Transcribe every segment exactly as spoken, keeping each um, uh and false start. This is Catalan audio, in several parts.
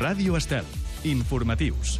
Ràdio Estel. Informatius.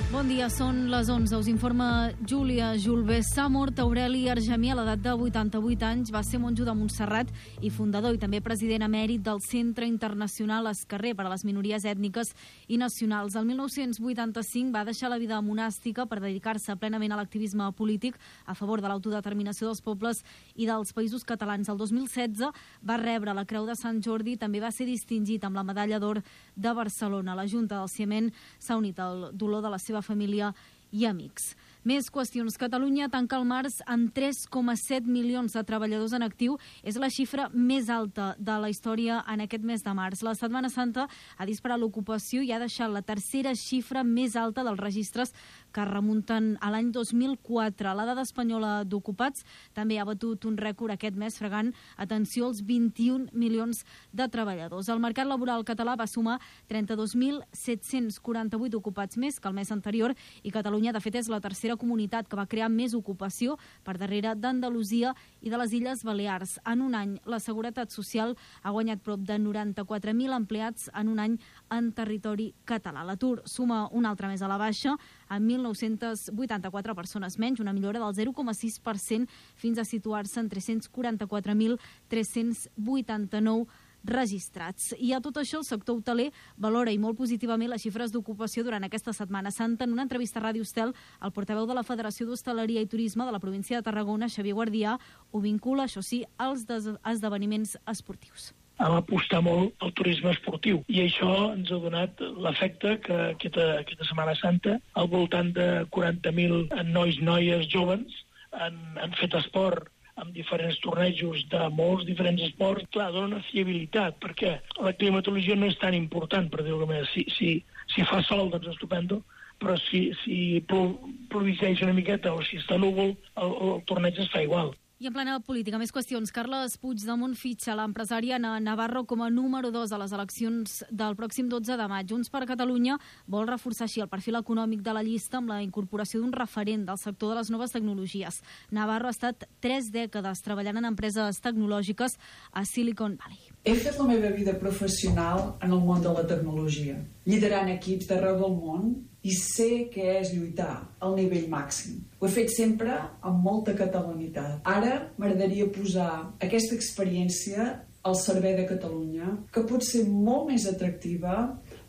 Bon dia, són les onze. Us informa Júlia Julbé. S'ha mort Aureli Argemí a l'edat de vuitanta-vuit anys. Va ser monjo de Montserrat i fundador i també president emèrit del Centre Internacional Esquerrer per a les Minories Ètniques i Nacionals. El mil nou-cents vuitanta-cinc va deixar la vida monàstica per dedicar-se plenament a l'activisme polític a favor de l'autodeterminació dels pobles i dels països catalans. El dos mil setze va rebre la Creu de Sant Jordi i també va ser distingit amb la Medalla d'Or de Barcelona. La Junta del Ciment s'ha unit al dolor de la seva família i amics. Més qüestions. Catalunya tanca el març amb tres coma set milions de treballadors en actiu. És la xifra més alta de la història en aquest mes de març. La Setmana Santa ha disparat l'ocupació i ha deixat la tercera xifra més alta dels registres que remunten a l'any dos mil quatre. La dada espanyola d'ocupats també ha batut un rècord aquest mes, fregant, atenció, als vint-i-un milions de treballadors. El mercat laboral català va sumar trenta-dos mil set-cents quaranta-vuit ocupats més que el mes anterior i Catalunya, de fet, és la tercera comunitat que va crear més ocupació per darrere d'Andalusia i de les Illes Balears. En un any, la Seguretat Social ha guanyat prop de noranta-quatre mil empleats en un any en territori català. L'atur suma un altre mes a la baixa, amb mil nou-cents vuitanta-quatre persones menys, una millora del zero coma sis per cent fins a situar-se en tres-cents quaranta-quatre mil tres-cents vuitanta-nou registrats. I a tot això, el sector hoteler valora i molt positivament les xifres d'ocupació durant aquesta Setmana Santa. En una entrevista a Ràdio Estel, el portaveu de la Federació d'Hostaleria i Turisme de la província de Tarragona, Xavier Guardià, ho vincula, això sí, als esdeveniments esportius. Vam apostar molt al turisme esportiu i això ens ha donat l'efecte que aquesta, aquesta Setmana Santa al voltant de quaranta mil nois, noies, joves han, han fet esport amb diferents tornejos de molts diferents esports. Clar, dona una fiabilitat, perquè la climatologia no és tan important, per dir-ho més. Si, si, si fa sol, doncs estupendo, però si, si plovisseix una miqueta o si està núvol, el, el torneig es fa igual. I en plena política, més qüestions. Carles Puigdemont fitxa l'empresària Ana Navarro com a número dos a les eleccions del pròxim dotze de maig. Junts per Catalunya vol reforçar així el perfil econòmic de la llista amb la incorporació d'un referent del sector de les noves tecnologies. Navarro ha estat tres dècades treballant en empreses tecnològiques a Silicon Valley. He fet la meva vida professional en el món de la tecnologia, liderant equips d'arreu del món, i sé què és lluitar al nivell màxim. Ho he fet sempre amb molta catalanitat. Ara m'agradaria posar aquesta experiència al servei de Catalunya, que pot ser molt més atractiva,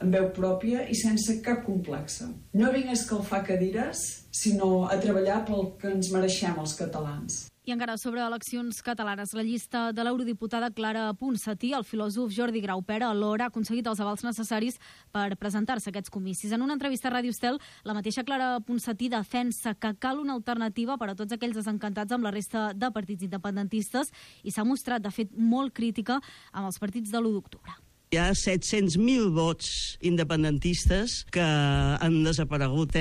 amb veu pròpia i sense cap complexa. No vinc a escalfar cadires, sinó a treballar pel que ens mereixem els catalans. I encara sobre eleccions catalanes, la llista de l'eurodiputada Clara Ponsatí, el filòsof Jordi Graupera alhora ha aconseguit els avals necessaris per presentar-se a aquests comicis. En una entrevista a Ràdio Estel, la mateixa Clara Ponsatí defensa que cal una alternativa per a tots aquells desencantats amb la resta de partits independentistes i s'ha mostrat, de fet, molt crítica amb els partits de l'u d'octubre. Hi ha set-cents mil vots independentistes que han desaparegut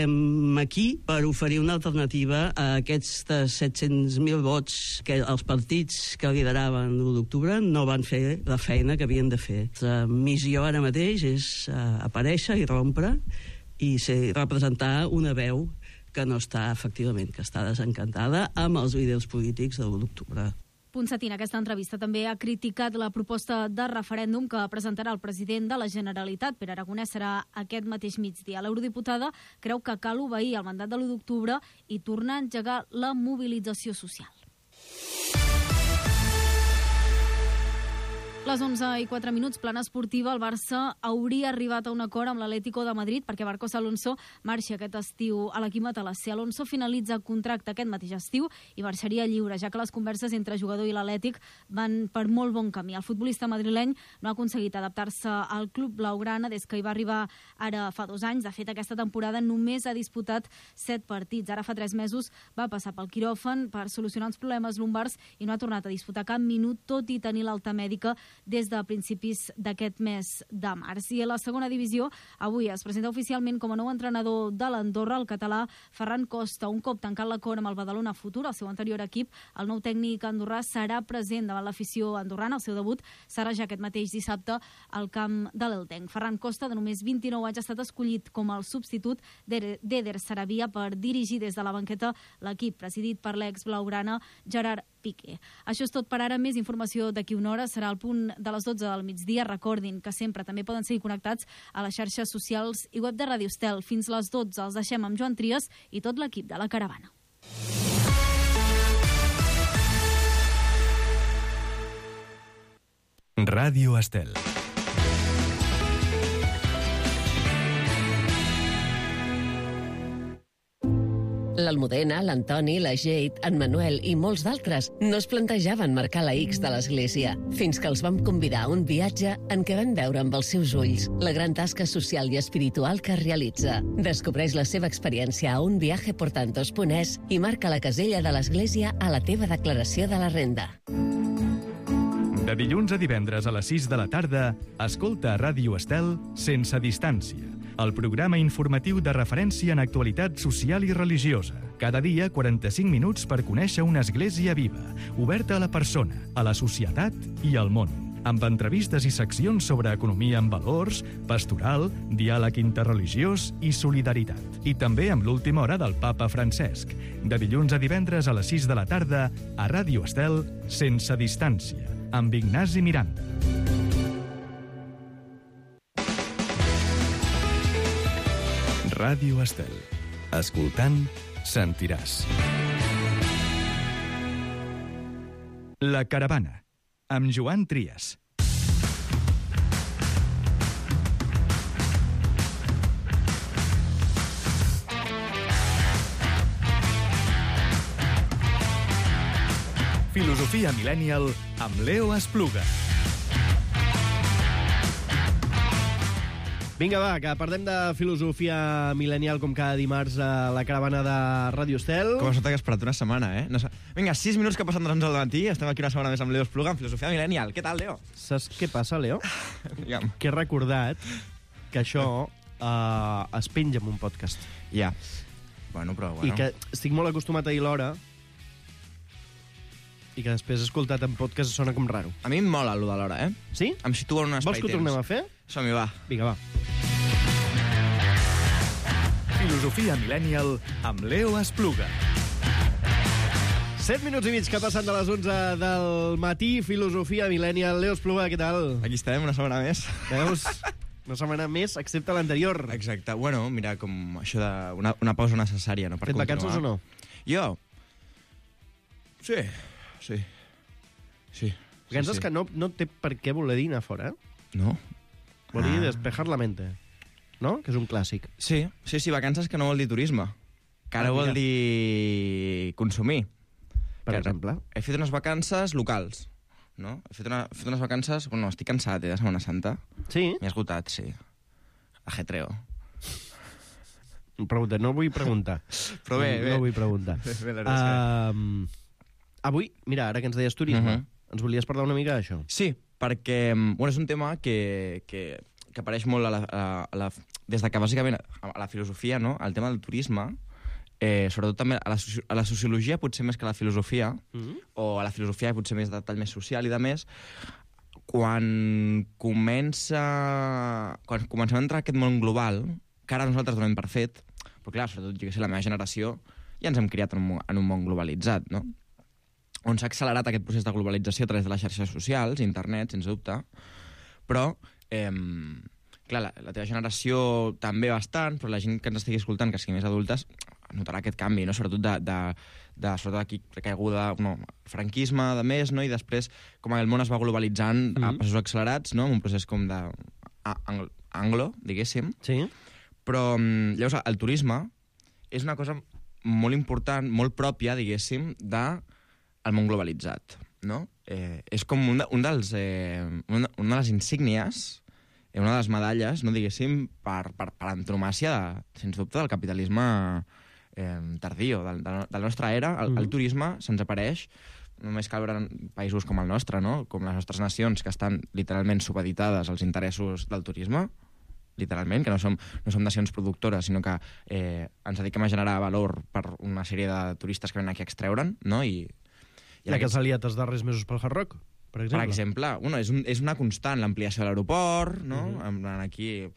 aquí per oferir una alternativa a aquests set-cents mil vots que els partits que lideraven l'u d'octubre no van fer la feina que havien de fer. La missió ara mateix és aparèixer i rompre i ser, representar una veu que no està, efectivament, que està desencantada amb els líders polítics de l'u d'octubre. Ponsatí en aquesta entrevista també ha criticat la proposta de referèndum que presentarà el president de la Generalitat. Pere Aragonès serà aquest mateix migdia. L'eurodiputada creu que cal obeir el mandat de l'u d'octubre i tornar a engegar la mobilització social. Les onze i quatre minuts, plana esportiva, el Barça hauria arribat a un acord amb l'Atlético de Madrid perquè Marcos Alonso marxi aquest estiu a l'equip matalasser. Alonso finalitza contracte aquest mateix estiu i marxaria lliure, ja que les converses entre jugador i l'Atlètic van per molt bon camí. El futbolista madrileny no ha aconseguit adaptar-se al club blaugrana des que hi va arribar ara fa dos anys. De fet, aquesta temporada només ha disputat set partits. Ara fa tres mesos va passar pel quiròfan per solucionar uns problemes lumbars i no ha tornat a disputar cap minut, tot i tenir l'alta mèdica des de principis d'aquest mes de març. I a la segona divisió, avui es presenta oficialment com a nou entrenador de l'Andorra el català Ferran Costa. Un cop tancat l'acord amb el Badalona Futur, el seu anterior equip, el nou tècnic andorrà serà present davant l'afició andorrana. El seu debut serà ja aquest mateix dissabte al camp de l'Eltenc. Ferran Costa, de només vint-i-nou anys, ha estat escollit com el substitut d'Eder Sarabia per dirigir des de la banqueta l'equip, presidit per l'ex blaugrana Gerard Piqué. Això és tot per ara. Més informació d'aquí una hora. Serà al punt de les dotze del migdia. Recordin que sempre també poden seguir connectats a les xarxes socials i web de Radio Estel. Fins les dotze els deixem amb Joan Trias i tot l'equip de La Caravana. Ràdio Estel. L'Almudena, l'Antoni, la Jade, en Manuel i molts d'altres no es plantejaven marcar la X de l'església, fins que els vam convidar a un viatge en què van veure amb els seus ulls la gran tasca social i espiritual que realitza. Descobreix la seva experiència a unviajeportantos punt es i marca la casella de l'església a la teva declaració de la renda. De dilluns a divendres a les sis de la tarda, escolta a Ràdio Estel Sense Distància, el programa informatiu de referència en actualitat social i religiosa. Cada dia, quaranta-cinc minuts per conèixer una església viva, oberta a la persona, a la societat i al món. Amb entrevistes i seccions sobre economia amb valors, pastoral, diàleg interreligiós i solidaritat. I també amb l'última hora del papa Francesc. De dilluns a divendres a les sis de la tarda, a Ràdio Estel Sense Distància, amb Ignasi Miranda. Ràdio Estel. Escoltant, sentiràs. La Caravana, amb Joan Trias. Filosofia Millennial amb Leo Espluga. Vinga, va, que parlem de filosofia millennial com cada dimarts a la Caravana de Ràdio Estel. Com sota que has esperat una setmana, eh? No, vinga, sis minuts que passen de l'onze del matí, estem aquí una setmana més amb Leo Espluga, amb filosofia millennial. Què tal, Leo? Saps què passa, Leo? Digue'm. Que he recordat que això uh, es penja en un podcast. Ja. Bueno, però bueno. I que estic molt acostumat a dir l'hora i que després escoltat en podcast sona com raro. A mi em mola allò de l'hora, eh? Sí? Em situa en un espai-temps. Vols que ho tornem a fer? Som-hi, va. Vinga, va. Filosofia Millennial amb Leo Espluga. Set minuts i mig que passen de les onze del matí. Filosofia Millennial. Leo Espluga, què tal? Aquí estem, una setmana més. Veus? Una setmana més, excepte l'anterior. Exacte. Bueno, mira, com això de una, una pausa necessària, no? Per Fet vacances o no? Jo? Sí. Sí. Sí. Vacances sí, sí. que no, no té per què voler dir anar fora, eh? No. Vol dir Ah. despejar la mente, no? Que és un clàssic. Sí, sí, sí, vacances que no vol dir turisme. Que ara Ah, vol mira. dir consumir. Per Que exemple. He fet unes vacances locals, no? He fet, una, he fet unes vacances... Bueno, estic cansat, eh, de Setmana Santa. Sí? M'he esgotat, sí. Ajetreo. Pregunta, no vull preguntar. Però bé, bé. No vull preguntar. Bé, bé, la veritat és Uh, avui, mira, ara que ens deies turisme, Mhm. ens volies parlar una mica d'això. Sí, perquè bueno, és un tema que, que, que apareix molt a la, a la, des de que bàsicament a la filosofia, no? El tema del turisme, eh, sobretot també a la, soci- a la sociologia, potser més que a la filosofia, Mm -hmm. o a la filosofia potser més de tall més social i de més, quan comença... Quan comencem a entrar en aquest món global, que ara nosaltres donem per fet, però clar, sobretot, jo que sé, la meva generació, ja ens hem criat en un, món- en un món globalitzat, no? On s'ha accelerat aquest procés de globalització a través de les xarxes socials, internet, sense dubte, però, eh, clar, la, la teva generació també bastant, però la gent que ens estigui escoltant, que sigui més adultes, notarà aquest canvi, no? Sobretot de, de, de sobretot aquí caiguda, no, franquisme, de més, no? I després, com el món es va globalitzant mm -hmm. a passos accelerats, no? En un procés com de a, anglo, anglo, diguéssim. Sí? Però, llavors, el turisme és una cosa molt important, molt pròpia, diguéssim, de el món globalitzat, no? Eh, és com un, de, un dels... Eh, una, una de les insígnies, eh, una de les medalles, no diguéssim, per, per, per antonomàcia, de, sens dubte, del capitalisme eh, tardío, del, de la nostra era. El, el turisme se'ns apareix, només cal veure països com el nostre, no? Com les nostres nacions, que estan literalment supeditades als interessos del turisme, literalment, que no som, no som nacions productores, sinó que eh, ens dediquem a generar valor per una sèrie de turistes que venen aquí a extreure'n, no? I, I la que s'ha liat els darrers mesos pel Hard Rock, per exemple. Per exemple, bueno, és, un, és una constant l'ampliació de l'aeroport, no? Uh -huh. En plan, aquí...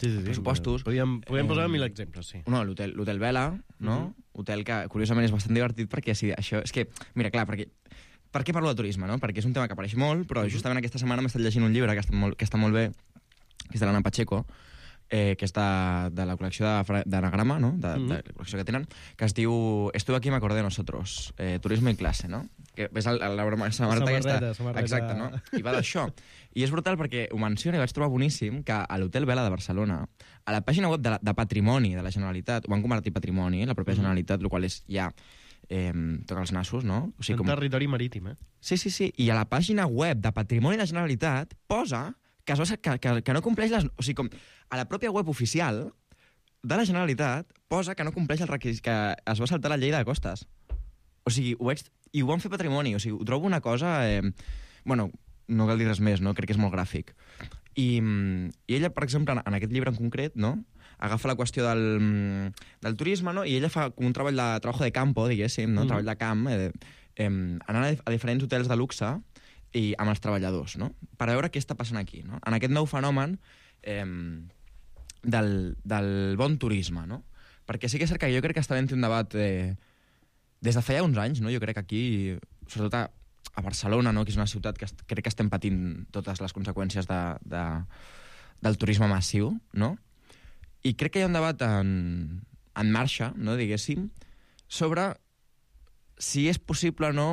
Sí, sí, sí. pressupostos. Podríem, podríem posar Eh, mil exemples, sí. No, l'hotel l'hotel Vela, no? Mhm. Hotel que, curiosament, és bastant divertit perquè sí, això... És que, mira, clar, perquè... Per què parlo de turisme, no? Perquè és un tema que apareix molt, però justament aquesta setmana m'he estat llegint un llibre que està molt, que està molt bé, que és de l'Anna Pacheco, eh, que és de, de la col·lecció de- d'Anagrama, no? De, Mhm. de la col·lecció que tenen, que es diu Estuve aquí y me acordé de nosotros, eh, turisme i classe, no? Que ves el, el, la broma, samarreta Samarreta, aquesta... samarreta. Exacte, no? I va d'això. I és brutal perquè ho menciona i vaig trobar boníssim que a l'Hotel Vela de Barcelona, a la pàgina web de, la, de Patrimoni de la Generalitat, ho van convertir Patrimoni, la pròpia Generalitat, el qual és ja... Eh, toca els nassos, no? O Sí, sigui, un territori marítim, eh? Sí, sí, sí. I a la pàgina web de Patrimoni de la Generalitat posa que, es va, que, que, que no compleix les... O sigui, com a la pròpia web oficial de la Generalitat posa que no compleix el requisit, que es va saltar la llei de costes. O sigui, ho vaig... I ho van fer Patrimoni. O sigui, ho trobo una cosa... Eh... Bueno, no cal dir res més, no? Crec que és molt gràfic. I, i ella, per exemple, en aquest llibre en concret, no? Agafa la qüestió del, del turisme, no? I ella fa com un treball de treball de campo, diguéssim, no? Mm. Treball de camp, eh, eh, anant a, a diferents hotels de luxe i amb els treballadors, no? Per veure què està passant aquí, no? En aquest nou fenomen eh, del, del bon turisme, no? Perquè sí que és cert que jo crec que està havent un debat eh, des de feia uns anys, no? Jo crec que aquí, sobretot a, a Barcelona, no? Que és una ciutat que est crec que estem patint totes les conseqüències de, de, del turisme massiu, no? I crec que hi ha un debat en, en marxa, no, diguéssim, sobre si és possible o no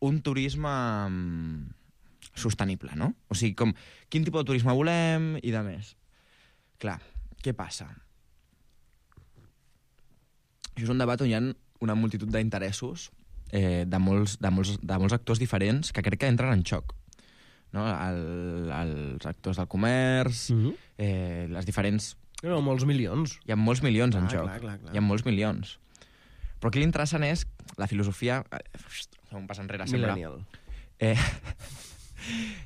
un turisme sostenible, no? O sigui, com, quin tipus de turisme volem i de més. Clar, què passa? Això és un debat on hi ha una multitud d'interessos eh, de, molts, de, molts, de molts actors diferents que crec que entren en xoc. No? El, els actors del comerç, mm-hmm. eh, les diferents... No, molts milions. Hi ha molts milions clar, en joc. Clar, clar, clar. Hi ha molts milions. Però aquí l'interessant és la filosofia... Fem un pas enrere, sempre. Millennial. Eh,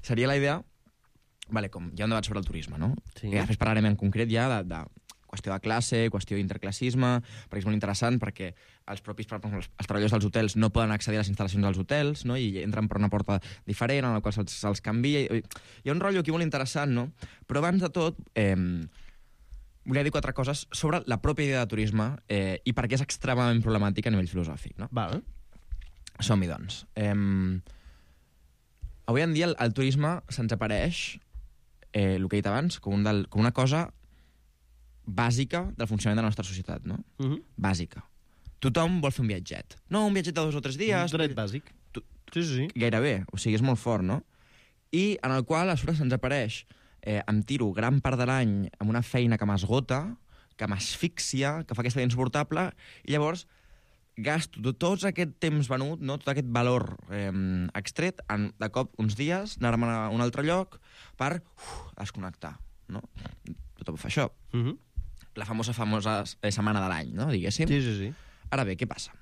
seria la idea... Vale, com hi ha un debat sobre el turisme, no? Sí. I després parlarem en concret ja de, de qüestió de classe, qüestió d'interclassisme, perquè és molt interessant perquè els propis per exemple, els treballadors dels hotels no poden accedir a les instal·lacions dels hotels, no? I entren per una porta diferent en la qual se'ls se canvia. Hi ha un rotllo aquí molt interessant, no? Però abans de tot... Eh, volia dir quatre coses sobre la pròpia idea de turisme eh, i per què és extremadament problemàtica a nivell filosòfic, no? Val. Som-hi, doncs. Eh, avui en dia el, el turisme se'ns apareix, eh, el que he dit abans, com, un del, com una cosa bàsica del funcionament de la nostra societat, no? Uh-huh. Bàsica. Tothom vol fer un viatget. No, un viatget de dos o tres dies... Un dret bàsic. Tu... Sí, sí, sí. Gairebé. O sigui, és molt fort, no? I en el qual a sobre se'ns apareix Eh, em tiro gran part de l'any amb una feina que m'esgota, que m'asfixia, que fa que estigui insuportable, i llavors gasto tot, tot aquest temps venut, no? Tot aquest valor eh, extret, en, de cop uns dies, anar-me a un altre lloc per uf, desconnectar. No? Tothom fa això. Uh-huh. La famosa famosa eh, setmana de l'any, no? Diguéssim. Sí, sí, sí. Ara bé, què passa?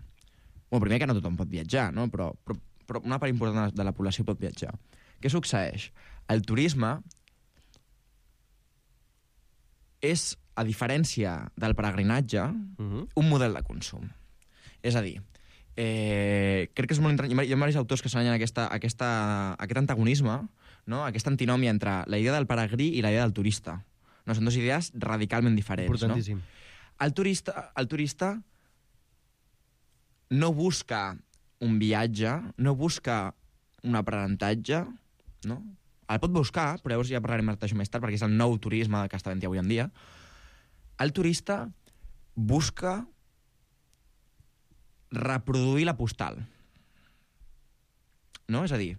Bueno, primer que no tothom pot viatjar, no? però, però, però una part important de la població pot viatjar. Què succeeix? El turisme és, a diferència del peregrinatge, uh-huh. un model de consum. És a dir, eh, crec que és molt interessant. Hi ha diversos autors que s'ensenyen aquesta, aquesta, aquest antagonisme, no? Aquesta antinòmia entre la idea del peregrí i la idea del turista. No? Són dues idees radicalment diferents. Importantíssim. No? El turista, el turista no busca un viatge, no busca un aprenentatge, no? El pot buscar, però llavors ja parlarem d'això més tard, perquè és el nou turisme que està havent-hi avui en dia. El turista busca reproduir la postal. No? És a dir,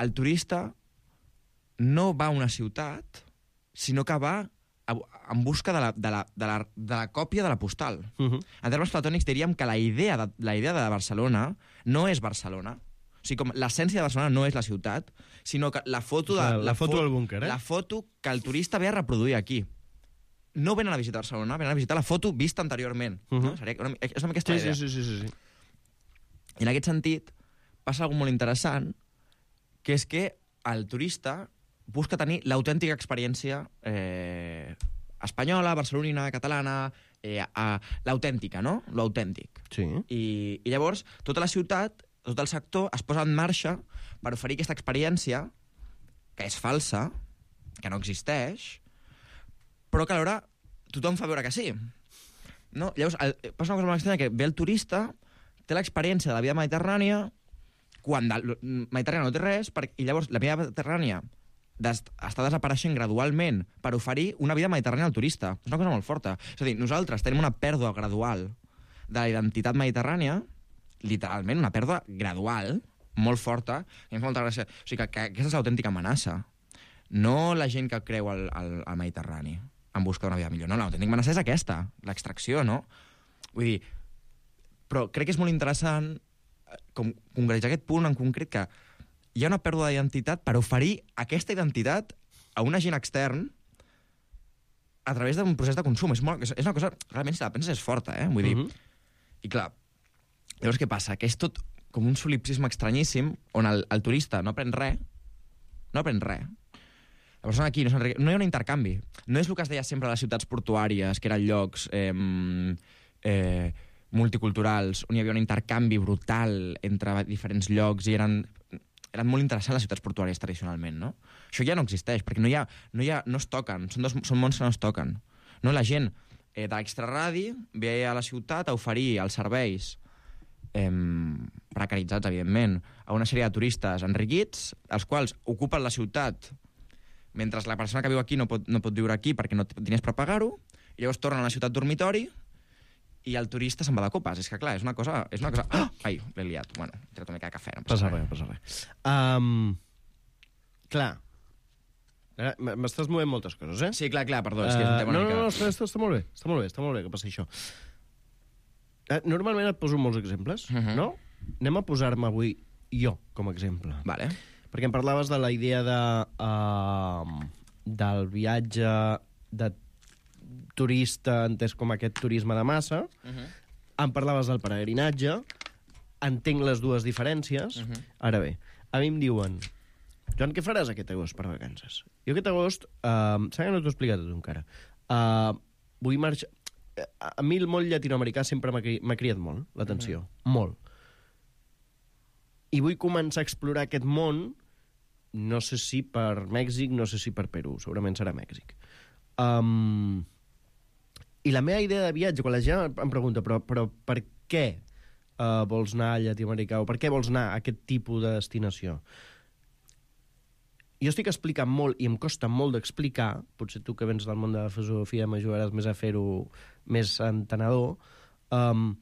el turista no va a una ciutat, sinó que va a, en busca de la, de, la, de, la, de la còpia de la postal. Uh-huh. En termes platònics diríem que la idea de, la idea de Barcelona no és Barcelona. O sigui, com l'essència de Barcelona no és la ciutat, sinó que la foto... De, la, la, la foto fo del búnquer, eh? La foto que el turista ve a reproduir aquí. No venen a visitar Barcelona, venen a visitar la foto vista anteriorment. Uh-huh. No? Seria una, és una mica aquesta sí, idea. Sí, sí, sí, sí. I en aquest sentit, passa alguna molt interessant, que és que el turista busca tenir l'autèntica experiència eh, espanyola, barcelonina, catalana, eh, l'autèntica, no? L'autèntic. Sí. I, I llavors, tota la ciutat, tot el sector es posa en marxa per oferir aquesta experiència que és falsa, que no existeix, però que alhora tothom fa veure que sí. No? Llavors, el, passa una cosa molt estranya, que ve el turista, té l'experiència de la vida mediterrània, quan de Mediterrània no té res, per, i llavors la vida mediterrània des, està desapareixent gradualment per oferir una vida mediterrània al turista. És una cosa molt forta. És a dir, nosaltres tenim una pèrdua gradual de la identitat mediterrània, literalment, una pèrdua gradual, molt forta, i em fa molta gràcia. O sigui, que, que aquesta és l'autèntica amenaça. No la gent que creu al, al, al Mediterrani en busca d'una vida millor. No, l'autèntica amenaça és aquesta, l'extracció, no? Vull dir, però crec que és molt interessant com concretar aquest punt en concret, que hi ha una pèrdua d'identitat per oferir aquesta identitat a un agent extern a través d'un procés de consum. És, molt, és una cosa, realment, si la penses, és forta, eh? Vull dir, uh-huh. I clar, llavors què passa? Que és tot com un solipsisme estranyíssim on el, el turista no aprèn res, no aprèn res. La persona aquí no, no hi ha un intercanvi. No és el que es deia sempre a les ciutats portuàries, que eren llocs eh, eh, multiculturals, on hi havia un intercanvi brutal entre diferents llocs i eren, eren molt interessants les ciutats portuàries tradicionalment, no? Això ja no existeix, perquè no, hi ha, no, hi ha, no es toquen, són, dos, són mons que no es toquen. No? La gent eh, de l'extraradi ve a la ciutat a oferir els serveis eh, precaritzats, evidentment, a una sèrie de turistes enriquits, els quals ocupen la ciutat mentre la persona que viu aquí no pot, no pot viure aquí perquè no té diners per pagar-ho, i llavors tornen a la ciutat dormitori i el turista se'n va de copes. És que, clar, és una cosa... És una cosa... Ah! Ai, l'he liat. Bueno, he tret una mica de cafè. No passa res, passa res. Um, clar. M'estàs movent moltes coses, eh? Sí, clar, clar, perdó. És que és un tema uh, no, mica... no, no, està, està, està molt bé. Està molt bé, està molt bé que passi això. Uh, normalment et poso molts exemples, uh -huh. no? Anem a posar-me avui jo com a exemple. Vale. Perquè em parlaves de la idea de, uh, del viatge de turista entès com aquest turisme de massa. Uh-huh. Em parlaves del peregrinatge. Entenc les dues diferències. Uh-huh. Ara bé, a mi em diuen: Joan, què faràs aquest agost per vacances? Jo aquest agost, uh, sembla que no t'ho he explicat tot encara, uh, vull marxar... A mi el món llatinoamericà sempre m'ha cri... criat molt l'atenció. Uh-huh. Molt. I vull començar a explorar aquest món. No sé si per Mèxic, no sé si per Perú. Segurament serà Mèxic. Um, I la meva idea de viatge, quan la gent em pregunta però, però per què uh, vols anar a Llatinoamèrica o per què vols anar a aquest tipus de destinació? Jo estic explicant molt i em costa molt d'explicar, potser tu que vens del món de la filosofia m'ajudaràs més a fer-ho més entenedor, um,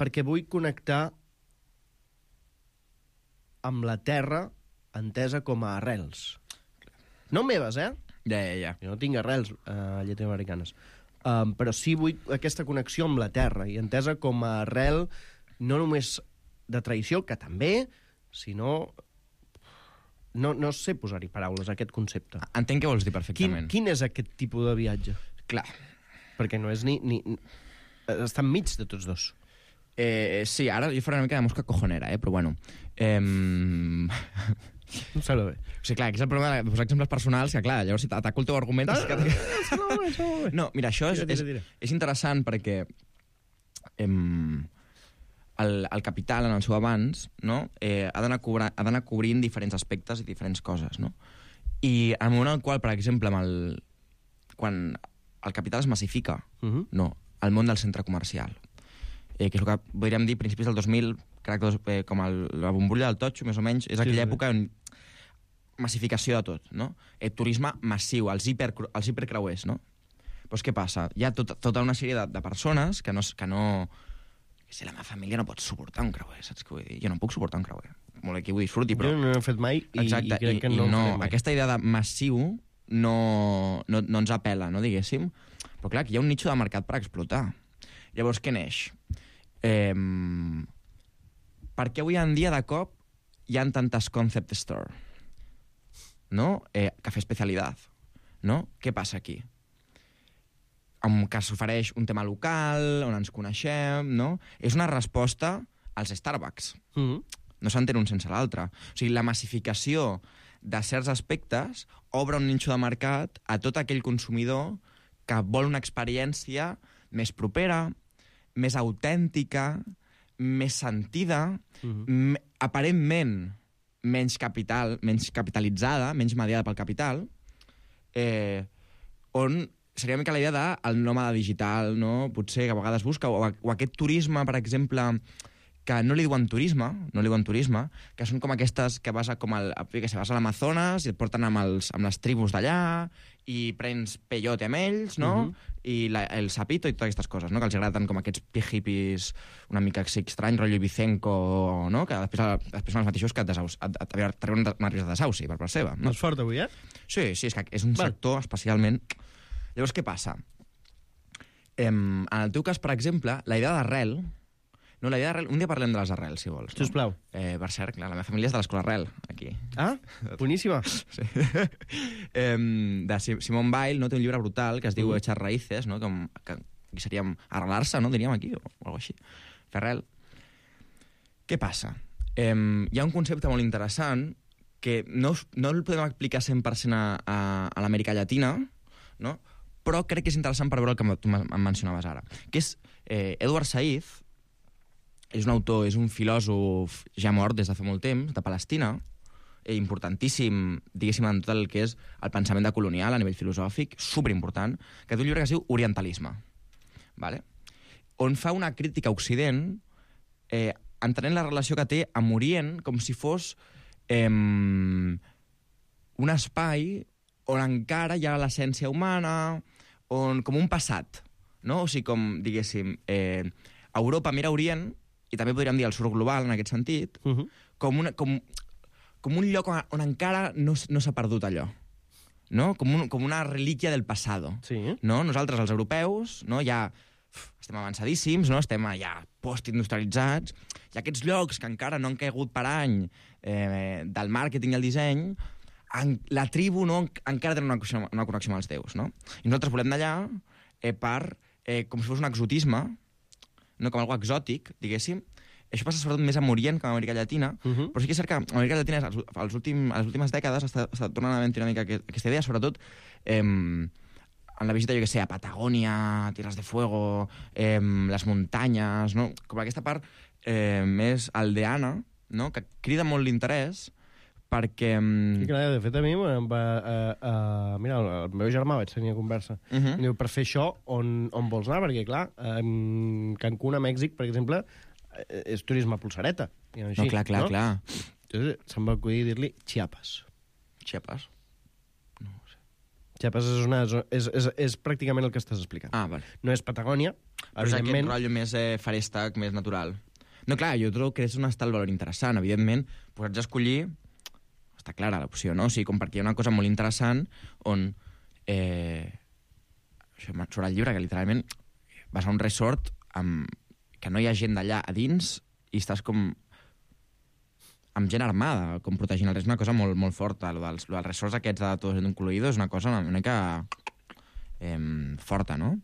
perquè vull connectar amb la terra entesa com a arrels. No meves, eh? Ja, ja, ja. Jo no tinc arrels uh, llatinoamericanes. Um, però sí vull aquesta connexió amb la terra i entesa com a arrel no només de tradició, que també, sinó... No, no sé posar-hi paraules a aquest concepte. Entenc què vols dir perfectament. Quin, quin és aquest tipus de viatge? Clar. Perquè no és ni... ni està enmig de tots dos. Eh, sí, ara jo faré una mica de mosca cojonera, eh? Però bueno... Eh... Em sembla bé. O sigui, clar, aquí és el problema de posar exemples personals, que clar, llavors si t'ataco el teu argument... No, és que... no, no, no, no, mira, això és, és, és interessant perquè em, el, el capital, en el seu avanç, no? eh, ha d'anar cobra, cobrint diferents aspectes i diferents coses, no? I en el moment en el qual, per exemple, amb el, quan el capital es massifica, uh -huh. no, al món del centre comercial, eh, que és el que podríem dir principis del dos mil, crec que eh, com el, la bombolla del totxo, més o menys, és aquella sí, sí. època on massificació de tot, no? Eh, turisme massiu, els, hiper, els hipercreuers, no? Doncs què passa? Hi ha tot, tota una sèrie de, de persones que no... Que no si la meva família no pot suportar un creuer, saps què vull dir? Jo no puc suportar un creuer. Molt bé que ho disfruti, però... Jo no ho he fet mai i, Exacte, i crec i, que no, i no ho mai. Aquesta idea de massiu no, no, no ens apela, no, diguéssim. Però clar, aquí hi ha un nicho de mercat per explotar. Llavors, què neix? Eh, per què avui en dia, de cop, hi ha tantes concept store? No? Eh, cafè especialitat. No? Què passa aquí? En que s'ofereix un tema local, on ens coneixem, no? És una resposta als Starbucks. Mm-hmm. No s'entén un sense l'altre. O sigui, la massificació de certs aspectes obre un nicho de mercat a tot aquell consumidor que vol una experiència més propera, més autèntica, més sentida, mm-hmm. aparentment menys capital, menys capitalitzada, menys mediada pel capital, eh, on seria una mica la idea del nòmada digital, no? Potser que a vegades busca, o, o aquest turisme, per exemple, que no li diuen turisme, no li diuen turisme, que són com aquestes que vas a, com al, que se vas a l'Amazones i et porten amb, els, amb les tribus d'allà i prens peyote amb ells, no? Uh-huh. I la, el sapito i totes aquestes coses, no? Que els agraden com aquests hippies una mica estrany, rotllo Ibicenco, no? Que després, després són els mateixos que et, desaus, et, et, et treuen una risa de desauci per part seva. No és fort avui, eh? Sí, sí, és que és un Val. sector especialment... Llavors, què passa? Em, en el teu cas, per exemple, la idea d'arrel... No, la idea d'arrel... Un dia parlem de les arrels, si vols. No? Sisplau. Eh, per cert, clar, la meva família és de l'escola Arrel, aquí. Ah, boníssima. Sí. eh, de Simone Weil, no? Té un llibre brutal que es diu mm. Echar raíces, no? Com, que, que seríem arrelar-se, no? Diríem aquí, o, o alguna així. Fer arrel. Què passa? Eh, hi ha un concepte molt interessant que no, no el podem aplicar cent per cent a, a, a l'Amèrica Llatina, no? Però crec que és interessant per veure el que tu em mencionaves ara, que és eh, Edward Said, és un autor, és un filòsof ja mort des de fa molt temps, de Palestina, eh, importantíssim, diguéssim, en tot el que és el pensament de colonial a nivell filosòfic, superimportant, que té un llibre que es diu Orientalisme, vale? On fa una crítica a Occident, eh, entenent la relació que té amb Orient com si fos eh, un espai on encara hi ha l'essència humana, on, com un passat, no? O sigui, com, diguéssim, eh, Europa mira Orient, i també podríem dir el sud global, en aquest sentit, uh -huh. com, una, com, com un lloc on, on encara no, no s'ha perdut allò. No? Com, un, com una relíquia del passado. Sí. No? Nosaltres, els europeus, no? ja uf, estem avançadíssims, no? Estem ja postindustrialitzats, i aquests llocs que encara no han caigut per any eh, del màrqueting i el disseny, en, la tribu no, encara tenen una connexió, una connexió amb els déus. No? I nosaltres volem d'allà eh, per, eh, com si fos un exotisme, no, com algo exòtic, diguéssim. Això passa sobretot més a Orient que a Amèrica Llatina, uh -huh. però sí que és cert que a Amèrica Llatina, als, als últim, a les últimes dècades, està, està tornant a haver una mica aquesta idea, sobretot eh, en la visita, jo què sé, a Patagònia, Tierras de Fuego, eh, les muntanyes, no? Com aquesta part eh, més aldeana, no? Que crida molt l'interès, perquè... Sí, clar, de fet, a mi em va... Uh, uh, mira, el, el meu germà vaig tenir a conversa. Uh -huh. Diu, per fer això, on, on vols anar? Perquè, clar, um, Cancún a Mèxic, per exemple, és turisme pulsareta. Així, no, clar, clar, no? clar. Entonces, se'm va acudir dir-li Chiapas. Chiapas? No ho sé. Chiapas és, una, és, és, és pràcticament el que estàs explicant. Ah, vale. No és Patagònia, però és aquest rotllo més eh, farèstec, més natural. No, clar, jo trobo que és on està el valor interessant. Evidentment, pots escollir... Està clara l'opció, no? O sigui, com perquè hi ha una cosa molt interessant on... Eh, sobre el llibre, que literalment vas a un resort amb, que no hi ha gent d'allà a dins i estàs com amb gent armada, com protegint el res. És una cosa molt, molt forta. El dels, el dels resorts aquests de Todos Incluidos és una cosa una mica eh, forta, no?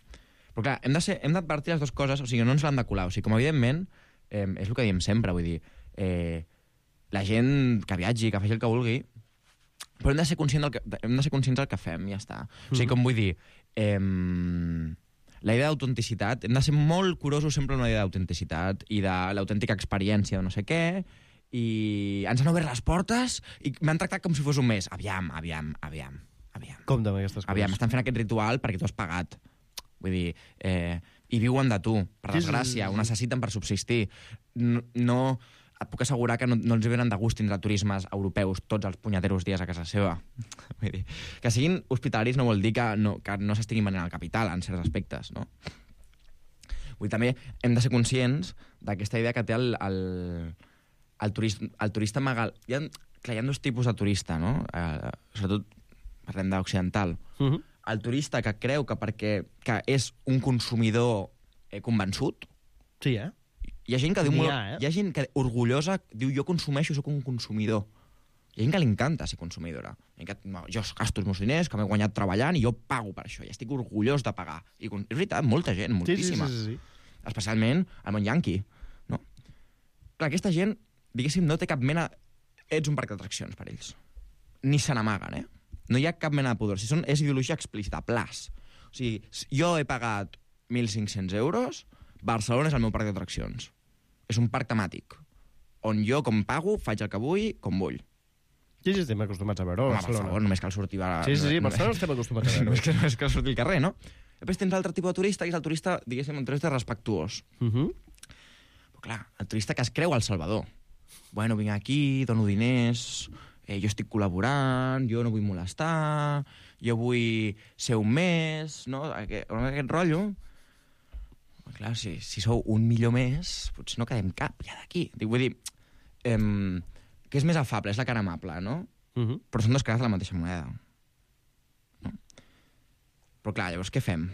Però clar, hem de ser, hem d'advertir les dues coses, o sigui, no ens l'han de colar. O sigui, com evidentment, eh, és el que diem sempre, vull dir... Eh, la gent que viatgi, que faci el que vulgui, però hem de ser conscients del que, hem de ser conscients del que fem, i ja està. Mm-hmm. O sigui, com vull dir, eh, la idea d'autenticitat, hem de ser molt curosos sempre amb la idea d'autenticitat i de l'autèntica experiència de no sé què, i ens han obert les portes i m'han tractat com si fos un mes. Aviam, aviam, aviam, aviam. Compte amb aquestes coses. Aviam, estan fent aquest ritual perquè tu has pagat. Vull dir, eh, i viuen de tu, per desgràcia, ho necessiten per subsistir. No... no et puc assegurar que no, no els venen de gust tindre turismes europeus tots els punyeteros dies a casa seva. Vull dir, que siguin hospitalaris no vol dir que no, que no s'estiguin venent al capital en certs aspectes, no? Vull dir, també hem de ser conscients d'aquesta idea que té el, el, el, turist, el turista magal... Hi ha, clar, hi ha dos tipus de turista, no? Eh, sobretot parlem d'occidental. Uh -huh. El turista que creu que perquè que és un consumidor eh, convençut... Sí, eh? Hi ha gent que diu molt, ha, eh? hi ha gent que orgullosa diu jo consumeixo, sóc un consumidor. Hi ha gent que li encanta ser consumidora. No, jo gasto els meus diners, que m'he guanyat treballant i jo pago per això, i estic orgullós de pagar. I és veritat, molta gent, moltíssima. Sí, sí, sí, sí. Especialment al món yanqui. No? Clar, aquesta gent, diguéssim, no té cap mena... Ets un parc d'atraccions per ells. Ni se n'amaguen, eh? No hi ha cap mena de pudor. Si són, és ideologia explícita, plàs. O sigui, jo he pagat mil cinc-cents euros, Barcelona és el meu parc d'atraccions. És un parc temàtic, on jo, com pago, faig el que vull, com vull. Sí, sí, estem acostumats a veure a Home, per Barcelona. favor, només cal sortir... A... Sí, sí, sí, a Barcelona estem acostumats a veure. Només, que, només cal sortir al carrer, no? Després tens l'altre tipus de turista, que és el turista, diguéssim, un turista respectuós. Uh -huh. Però clar, el turista que es creu al Salvador. Bueno, vinc aquí, dono diners, eh, jo estic col·laborant, jo no vull molestar, jo vull ser un més, no? Aquest, aquest rotllo. Però clar, si, si sou un milió més, potser no quedem cap ja d'aquí. Vull dir, eh, que és més afable, és la cara amable, no? Uh -huh. Però són dos cares de la mateixa moneda. No? Però clar, llavors què fem?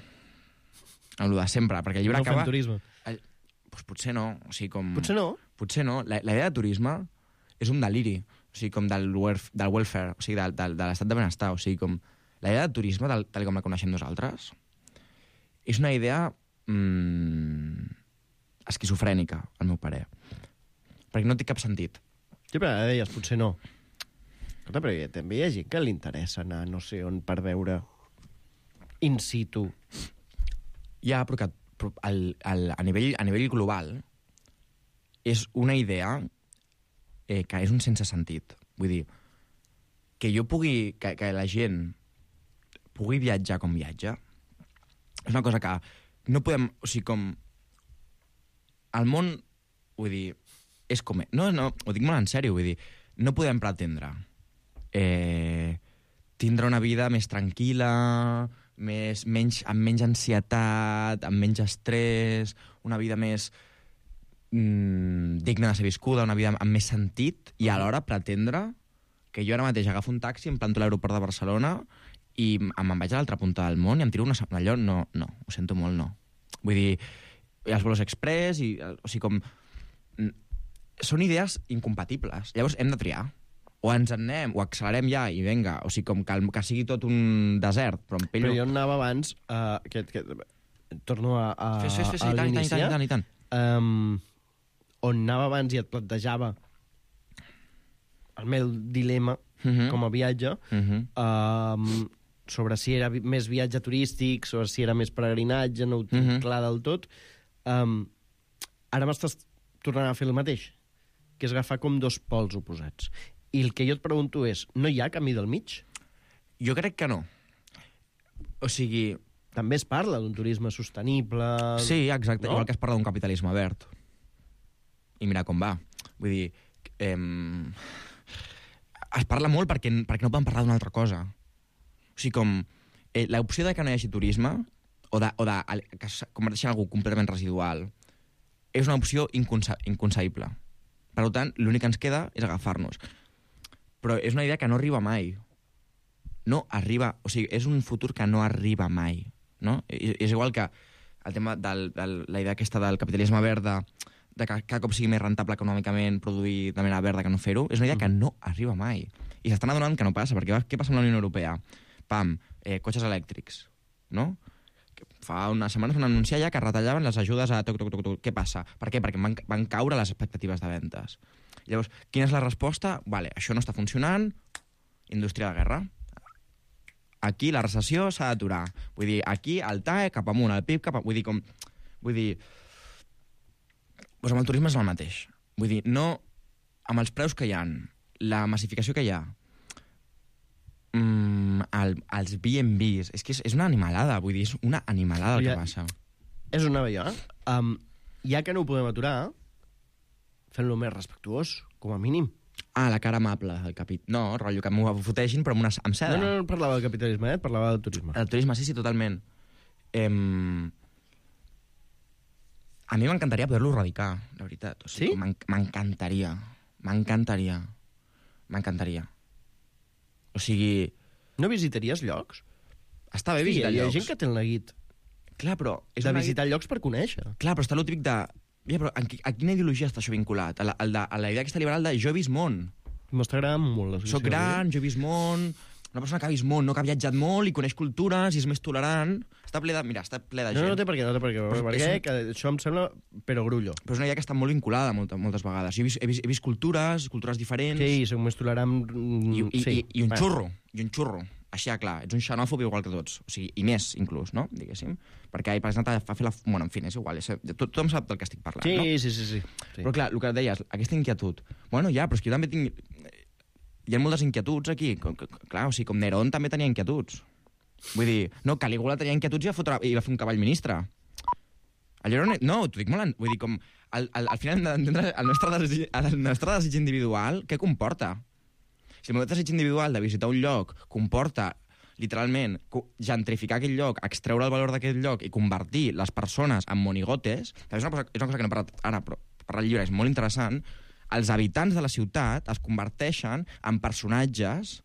Amb el de sempre, perquè el llibre no acaba... No fem turisme. El... Pues potser no, o sigui, com... Potser no? Potser no. La, la idea de turisme és un deliri, o sigui, com del, welf, del welfare, o sigui, del, del, de l'estat de benestar, o sigui, com... La idea de turisme, tal, tal com la coneixem nosaltres, és una idea mmm, esquizofrènica, al meu parer. Perquè no té cap sentit. Sí, però ara deies, potser no. Escolta, però també hi ha gent que li interessa anar no sé on per veure in situ. Ja, però que però el, el, a, nivell, a nivell global és una idea eh, que és un sense sentit. Vull dir, que jo pugui... Que, que la gent pugui viatjar com viatja és una cosa que no podem... O sigui, com... El món, vull dir, és com... No, no, ho dic molt en sèrio, vull dir, no podem pretendre eh, tindre una vida més tranquil·la, més, menys, amb menys ansietat, amb menys estrès, una vida més mm, digna de ser viscuda, una vida amb més sentit, i alhora pretendre que jo ara mateix agafo un taxi, em planto a l'aeroport de Barcelona i me'n vaig a l'altra punta del món i em tiro una... Allò no, no, ho sento molt, no. Vull dir, els vols express, i, o sigui, com... Són idees incompatibles. Llavors hem de triar. O ens en anem, o accelerem ja, i venga, o sigui, com que, que sigui tot un desert, però amb pell... Però jo anava abans, uh, que, que, torno a, a, fes, fes, fes, a i tant, l'inici, i tant, i tant, i tant. Um, on anava abans i et plantejava el meu dilema uh -huh. com a viatge, uh -huh. um, sobre si era més viatge turístic, sobre si era més peregrinatge, no ho tinc uh -huh. clar del tot. Um, ara m'estàs tornant a fer el mateix, que és agafar com dos pols oposats. I el que jo et pregunto és, no hi ha camí del mig? Jo crec que no. O sigui... També es parla d'un turisme sostenible... Sí, exacte, no? Igual que es parla d'un capitalisme verd. I mira com va. Vull dir... Eh, es parla molt perquè, perquè no poden parlar d'una altra cosa. O sigui, com... Eh, l'opció de que no hi hagi turisme, o de, o de que es converteixi en algú completament residual, és una opció inconce inconceïble. Per tant, l'únic que ens queda és agafar-nos. Però és una idea que no arriba mai. No arriba... O sigui, és un futur que no arriba mai. No? I, és igual que el tema de la idea aquesta del capitalisme verd, de, de que cada cop sigui més rentable econòmicament produir de manera verda que no fer-ho, és una idea que no arriba mai. I s'estan adonant que no passa, perquè què passa amb la Unió Europea? Pam, eh, cotxes elèctrics, no? Fa unes setmanes van anunciar ja que retallaven les ajudes a toc, toc, toc, toc. Què passa? Per què? Perquè van, van caure les expectatives de ventes. Llavors, quina és la resposta? Vale, això no està funcionant, indústria de guerra. Aquí la recessió s'ha d'aturar. Vull dir, aquí el T A E cap amunt, el P I B cap amunt. Vull dir, com... Vull dir... Pues amb el turisme és el mateix. Vull dir, no... Amb els preus que hi ha, la massificació que hi ha, mm, el, els B and Bs, és que és, és una animalada, vull dir, és una animalada el ja, que passa. És una vella. Um, ja que no ho podem aturar, fem-lo més respectuós, com a mínim. Ah, la cara amable del capit... No, rotllo, que m'ho foteixin, però amb, una, amb seda. No, no, no parlava del capitalisme, eh? Parlava del turisme. El turisme, sí, sí, totalment. Em... A mi m'encantaria poder-lo erradicar, la veritat. O sigui, sí? M'encantaria. M'encantaria. M'encantaria. O sigui... No visitaries llocs? Està bé sí, visitar hi ha llocs. gent que té el neguit. Clar, però... És de una... visitar llocs per conèixer. Clar, però està lo típic de... Ja, però a, a quina ideologia està això vinculat? A la, a la, a la idea aquesta liberal de jo he vist món. M'està agradant molt. La Soc gran, jo he vist món... Una persona que ha vist món, no que ha viatjat molt i coneix cultures i és més tolerant. Està ple de... Mira, està ple de gent. No, no té per què, no té per què. Però perquè és... que això em sembla perogrullo. Però és una idea que està molt vinculada moltes, moltes vegades. Jo he vist, he, vist, he vist cultures, cultures diferents... Sí, soc més tolerant... I, i, sí. i, i un bueno. xurro, i un xurro. Així, clar, ets un xenòfob igual que tots. O sigui, i més, inclús, no? Diguéssim. Perquè, per exemple, fa fer la... Bueno, en fi, és igual. És... Tot, tothom sap del que estic parlant, sí, no? Sí, sí, sí, sí. Però, clar, el que deies, aquesta inquietud... Bueno, ja, però és que jo també tinc... hi ha moltes inquietuds aquí. Com, clar, o sigui, com Nerón també tenia inquietuds. Vull dir, no, Calígula tenia inquietuds i va, fotre, i va fer un cavall ministre. Allò no, no t'ho dic molt... En, vull dir, com... Al, al, al final hem d'entendre el nostre desig, el nostre desig individual, què comporta? Si el meu desig individual de visitar un lloc comporta, literalment, gentrificar aquell lloc, extreure el valor d'aquest lloc i convertir les persones en monigotes, que és una cosa, és una cosa que no he parlat ara, però per al llibre és molt interessant, els habitants de la ciutat es converteixen en personatges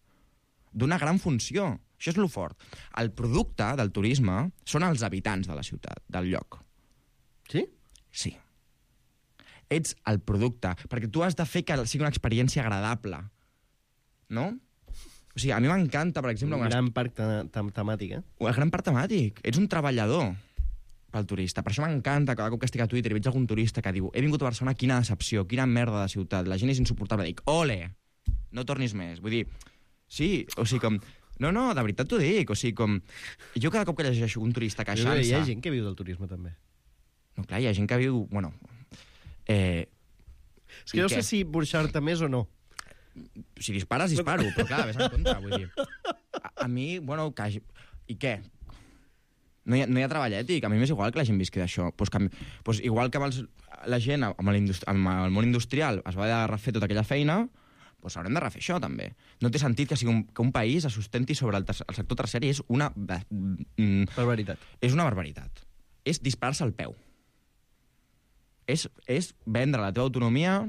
d'una gran funció. Això és lo fort. El producte del turisme són els habitants de la ciutat, del lloc. Sí? Sí. Ets el producte, perquè tu has de fer que sigui una experiència agradable, no? O sigui, a mi m'encanta, per exemple... Un gran parc te te temàtic, eh? Un gran parc temàtic. Ets un treballador pel turista. Per això m'encanta cada cop que estic a Twitter i veig algun turista que diu he vingut a Barcelona, quina decepció, quina merda de ciutat, la gent és insuportable. Dic, ole, no tornis més. Vull dir, sí, o sigui, com... No, no, de veritat t'ho dic. O sigui, com... Jo cada cop que llegeixo un turista queixant-se... Hi ha gent que viu del turisme, també. No, clar, hi ha gent que viu... Bueno... Eh, és que no sé si burxar-te més o no. Si dispares, disparo, però clar, ves en contra, vull dir. A, a mi, bueno, que... I què? No hi, ha, no hi ha treball ètic, a mi m'és igual que la gent visqui d'això. Pues que, pues igual que amb els, la gent, amb, amb el món industrial, es va de refer tota aquella feina, pues haurem de refer això, també. No té sentit que, sigui un, que un país es sustenti sobre el, ter, el sector terciari, és una... Mm, barbaritat. És una barbaritat. És disparar-se al peu. És, és vendre la teva autonomia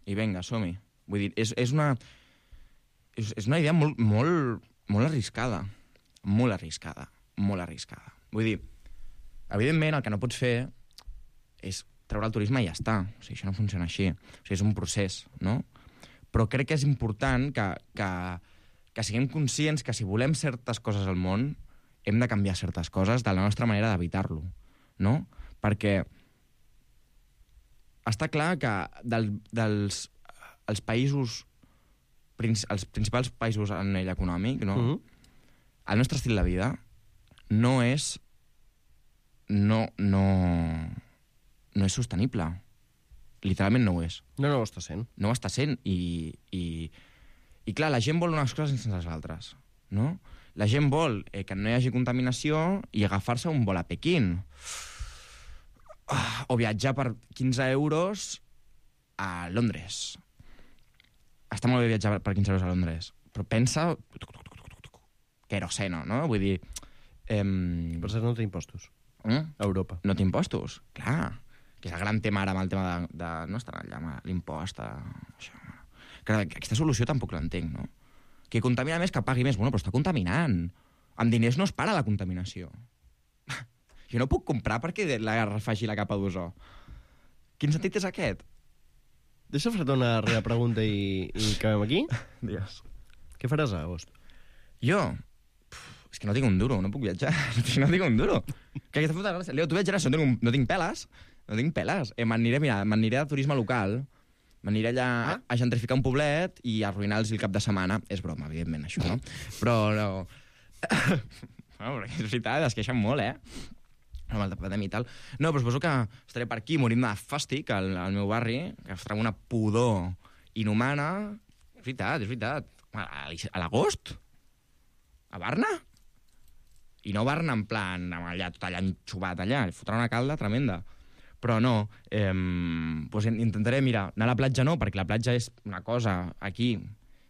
i vinga, som-hi. Vull dir, és, és, una, és, és una idea molt, molt, molt arriscada. Molt arriscada. Molt arriscada. Vull dir, evidentment, el que no pots fer és treure el turisme i ja està. O sigui, això no funciona així. O sigui, és un procés, no? Però crec que és important que, que, que siguem conscients que si volem certes coses al món, hem de canviar certes coses de la nostra manera d'evitar-lo, no? Perquè està clar que del, dels els països, els principals països a nivell econòmic, no? Uh-huh. El nostre estil de vida no és no, no, no és sostenible. Literalment no ho és. No, no ho està sent. No ho està sent. I, i, i clar, la gent vol unes coses sense les altres, no? La gent vol eh, que no hi hagi contaminació i agafar-se un vol a Pequín. O viatjar per quinze euros a Londres. Està molt bé viatjar per quinze euros a Londres, però pensa... Queroseno, no? Vull dir... Eh... Per cert, no té impostos. Eh? A Europa. No té impostos, clar. Que és el gran tema ara amb el tema de... de no estar allà, amb l'impost, de... Això. Que aquesta solució tampoc l'entenc, no? Que contamina més, que pagui més. Bueno, però està contaminant. Amb diners no es para la contaminació. Jo no puc comprar perquè la faci la capa d'ozó. Quin sentit és aquest? Deixa fer-te una darrera pregunta i, i acabem aquí. Digues. Què faràs a agost? Jo? Uf, és que no tinc un duro, no puc viatjar. No tinc un duro. Que aquesta foto... Leo, tu viatjaràs, no tinc, un, no tinc peles. No tinc peles. Eh, m'aniré, mira, m'aniré a turisme local. M'aniré allà ah? a gentrificar un poblet i a arruïnar-los el cap de setmana. És broma, evidentment, això, no? Però no... no, perquè és veritat, es queixen molt, eh? amb el de pandèmia i tal. No, però suposo que estaré per aquí morint de fàstic al, al meu barri, que es troba una pudor inhumana. És veritat, és veritat. A, a l'agost? A Barna? I no Barna en plan, allà, tot allà enxuvat allà, fotrà una calda tremenda. Però no, eh, doncs intentaré, mira, anar a la platja no, perquè la platja és una cosa aquí,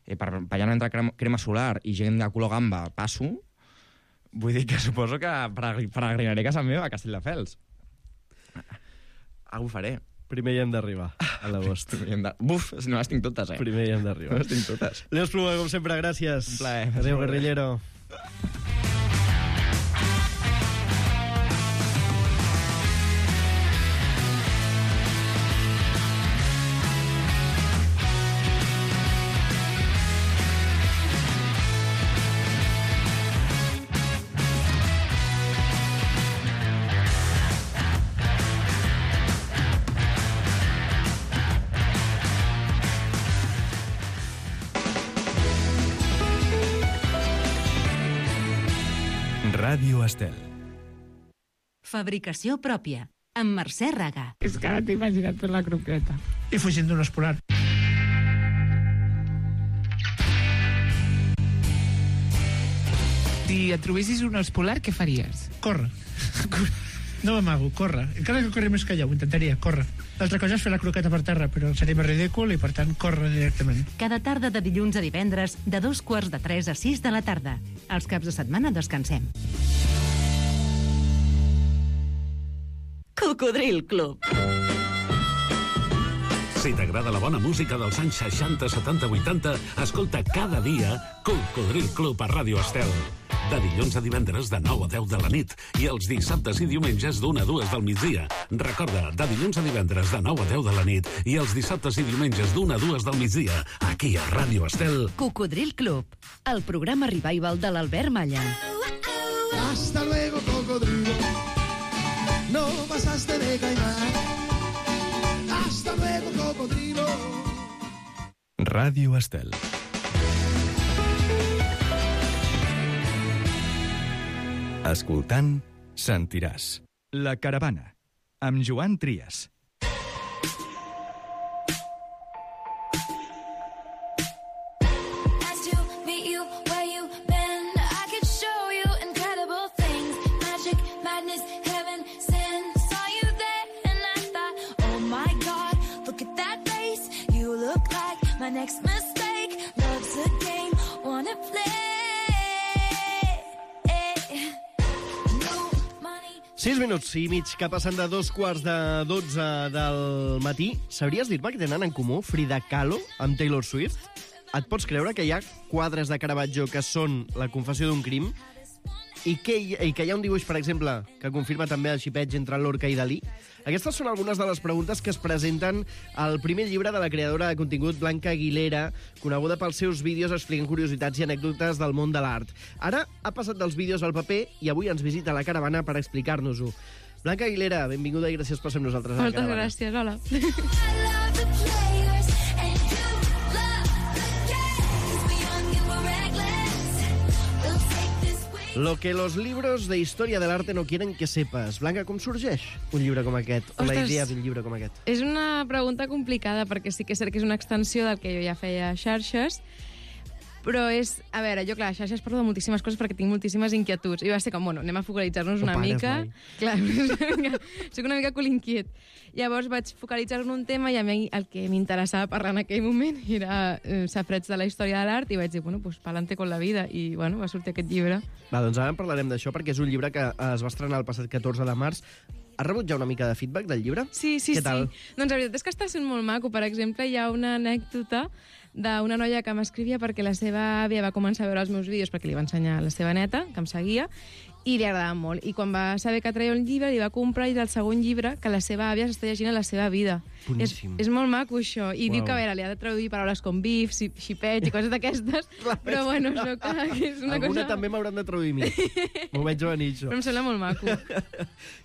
eh, per, per allà no entra crema, crema solar i gent de color gamba, passo. Vull dir que suposo que peregrinaré a casa meva a Castelldefels. Algú faré. Primer hi hem d'arribar, a l'agost. De... Buf, no les tinc totes, eh? Primer hi hem d'arribar. No les tinc totes. Leo Espluga, com sempre, gràcies. Un plaer. Adéu, guerrillero. Ràdio Estel. Fabricació pròpia, amb Mercè Raga. És que ara t'he imaginat per la croqueta. I fugint d'un espolar. Si et trobessis un os polar, què faries? Corre. No m'amago, corre. Encara que corri més que jo, ho intentaria, corre. L'altra cosa és fer la croqueta per terra, però seria més ridícul i, per tant, corre directament. Cada tarda de dilluns a divendres, de dos quarts de tres a sis de la tarda. Els caps de setmana descansem. Cocodril Club. Si t'agrada la bona música dels anys seixanta, setanta, vuitanta, escolta cada dia Cocodril Club a Ràdio Estel. De dilluns a divendres de nou a deu de la nit i els dissabtes i diumenges d'una a dues del migdia. Recorda, de dilluns a divendres de nou a deu de la nit i els dissabtes i diumenges d'una a dues del migdia, aquí a Ràdio Estel. Cocodril Club, el programa revival de l'Albert Malla. Hasta luego, cocodrilo. No pasaste de caimán. Hasta luego, cocodrilo. Ràdio Estel. Escoltant, sentiràs. La Caravana, amb Joan Trias. Next mistake, love's a game, wanna play. No money. Sis minuts i mig que passen de dos quarts de dotze del matí. Sabries dir-me que tenen en comú Frida Kahlo amb Taylor Swift? Et pots creure que hi ha quadres de Caravaggio que són la confessió d'un crim? I que, I que hi ha un dibuix, per exemple, que confirma també el xipeig entre Lorca i Dalí? Aquestes són algunes de les preguntes que es presenten al primer llibre de la creadora de contingut Blanca Aguilera, coneguda pels seus vídeos explicant curiositats i anècdotes del món de l'art. Ara ha passat dels vídeos al paper i avui ens visita la Caravana per explicar-nos-ho. Blanca Aguilera, benvinguda i gràcies per ser amb nosaltres a la Caravana. Moltes gràcies, hola. Lo que los libros de historia del arte no quieren que sepas. Blanca, com sorgeix un llibre com aquest? O la idea d'un llibre com aquest? És una pregunta complicada, perquè sí que és cert que és una extensió del que jo ja feia a xarxes, però és... A veure, jo, clar, a xarxes parlo de moltíssimes coses perquè tinc moltíssimes inquietuds. I va ser com, bueno, anem a focalitzar-nos una mica. Clar, soc una mica culinquiet. Llavors vaig focalitzar-me en un tema i a mi el que m'interessava parlar en aquell moment era eh, safareig de la història de l'art i vaig dir, bueno, pues pa'lante con la vida. I, bueno, va sortir aquest llibre. Va, doncs ara en parlarem d'això perquè és un llibre que es va estrenar el passat catorze de març. Has rebut ja una mica de feedback del llibre? Sí, sí, Què tal? sí. Doncs la veritat és que està sent molt maco. Per exemple, hi ha una anècdota d'una noia que m'escrivia perquè la seva àvia va començar a veure els meus vídeos perquè li va ensenyar la seva neta, que em seguia, i li agradava molt. I quan va saber que treia un llibre, li va comprar i del segon llibre que la seva àvia s'està llegint a la seva vida. És, és molt maco, això. I wow. Diu que, a veure, li ha de traduir paraules com bif, xipeig i coses d'aquestes, però bueno, això que és una Alguna cosa... també m'hauran de traduir a mi. M'ho veig venir, això. Però em sembla molt maco.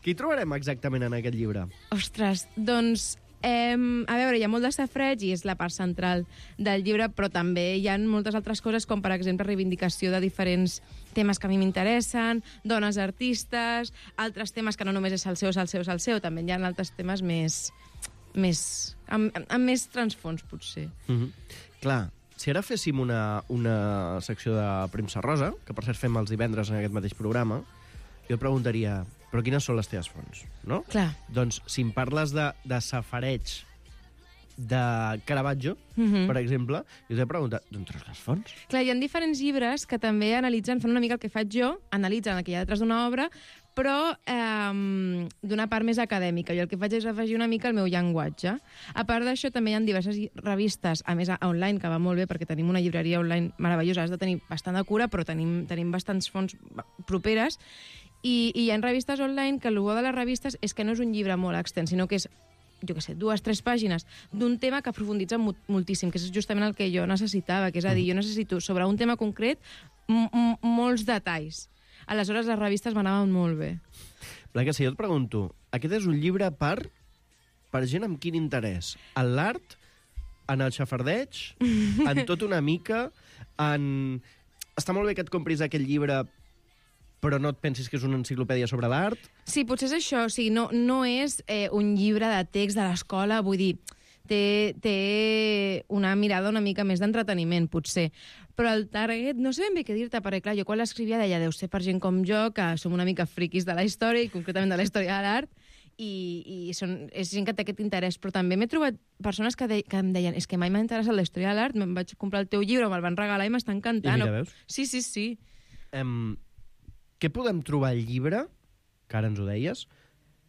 Què hi trobarem exactament en aquest llibre? Ostres, doncs... Eh, a veure, hi ha molt de safareig i és la part central del llibre, però també hi ha moltes altres coses, com per exemple reivindicació de diferents temes que a mi m'interessen, dones artistes, altres temes que no només és el seu, és el seu, és el seu, també hi ha altres temes més... més amb, amb més transfons, potser. Mm-hmm. Clar, si ara féssim una, una secció de premsa rosa, que per cert fem els divendres en aquest mateix programa, jo et preguntaria, però quines són les teves fonts, no? Clar. Doncs, si em parles de, de safareig de Caravaggio, Mhm. per exemple, jo t'he preguntat, d'on treus les fonts? Clar, hi ha diferents llibres que també analitzen, fan una mica el que faig jo, analitzen el que hi ha detrás d'una obra, però eh, d'una part més acadèmica. Jo el que faig és afegir una mica el meu llenguatge. A part d'això, també hi ha diverses revistes, a més online, que va molt bé, perquè tenim una llibreria online meravellosa, has de tenir bastant de cura, però tenim, tenim bastants fonts properes, i, i hi ha revistes online que el bo de les revistes és que no és un llibre molt extens, sinó que és, jo què sé, dues, tres pàgines d'un tema que aprofunditza moltíssim, que és justament el que jo necessitava, que és a dir, jo necessito sobre un tema concret molts detalls. Aleshores, les revistes m'anaven molt bé. Blanca, si jo et pregunto, aquest és un llibre per, per gent amb quin interès? En l'art, en el xafardeig, en tot una mica, en... Està molt bé que et compris aquest llibre, però no et pensis que és una enciclopèdia sobre l'art? Sí, potser és això. O sigui, no, no és eh, un llibre de text de l'escola, vull dir... té, té una mirada una mica més d'entreteniment, potser. Però el target, no sé ben bé què dir-te, perquè clar, jo quan l'escrivia deia deu ser per gent com jo, que som una mica friquis de la història, i concretament de la història de l'art, i, i són, és gent que té aquest interès. Però també m'he trobat persones que, de, que em deien és que mai m'ha interessat la història de l'art, me'n vaig comprar el teu llibre, me'l van regalar i m'està encantant. I mira, veus? Sí, sí, sí. Um, què podem trobar al llibre, que ara ens ho deies,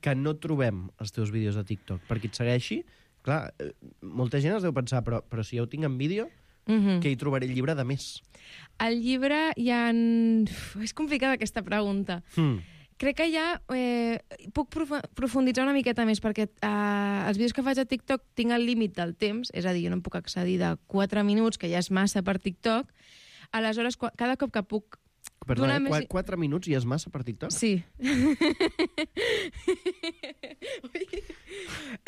que no trobem als teus vídeos de TikTok? Perquè et segueixi, clar, molta gent es deu pensar, però, però si ja ho tinc en vídeo, mm-hmm. que hi trobaré el llibre de més. Al llibre hi ha... Uf, és complicada aquesta pregunta. Mm. Crec que ja eh, puc profunditzar una miqueta més, perquè eh, els vídeos que faig a TikTok tinc el límit del temps, és a dir, jo no em puc accedir de quatre minuts, que ja és massa per TikTok. Aleshores, cada cop que puc... Perdona, eh? Més... quatre minuts ja és massa per TikTok? Sí.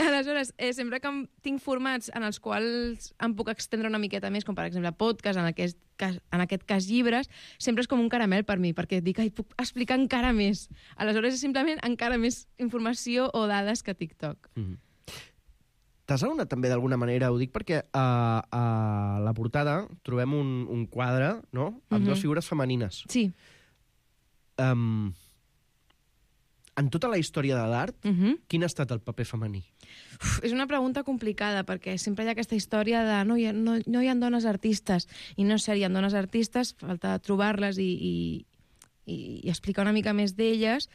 Aleshores, eh, sempre que tinc formats en els quals em puc extendre una miqueta més, com per exemple podcast, en aquest cas, en aquest cas llibres, sempre és com un caramel per mi, perquè dic, ai, puc explicar encara més. Aleshores és simplement encara més informació o dades que TikTok. Mm-hmm. T'has adonat també d'alguna manera, ho dic perquè a, a la portada trobem un, un quadre, no?, amb mm-hmm. dues figures femenines. Sí. Um, en tota la història de l'art, mm-hmm. quin ha estat el paper femení? Uf, és una pregunta complicada, perquè sempre hi ha aquesta història de no hi ha, no, no hi ha dones artistes, i no és cert, hi ha dones artistes, falta trobar-les i, i, i, i explicar una mica més d'elles.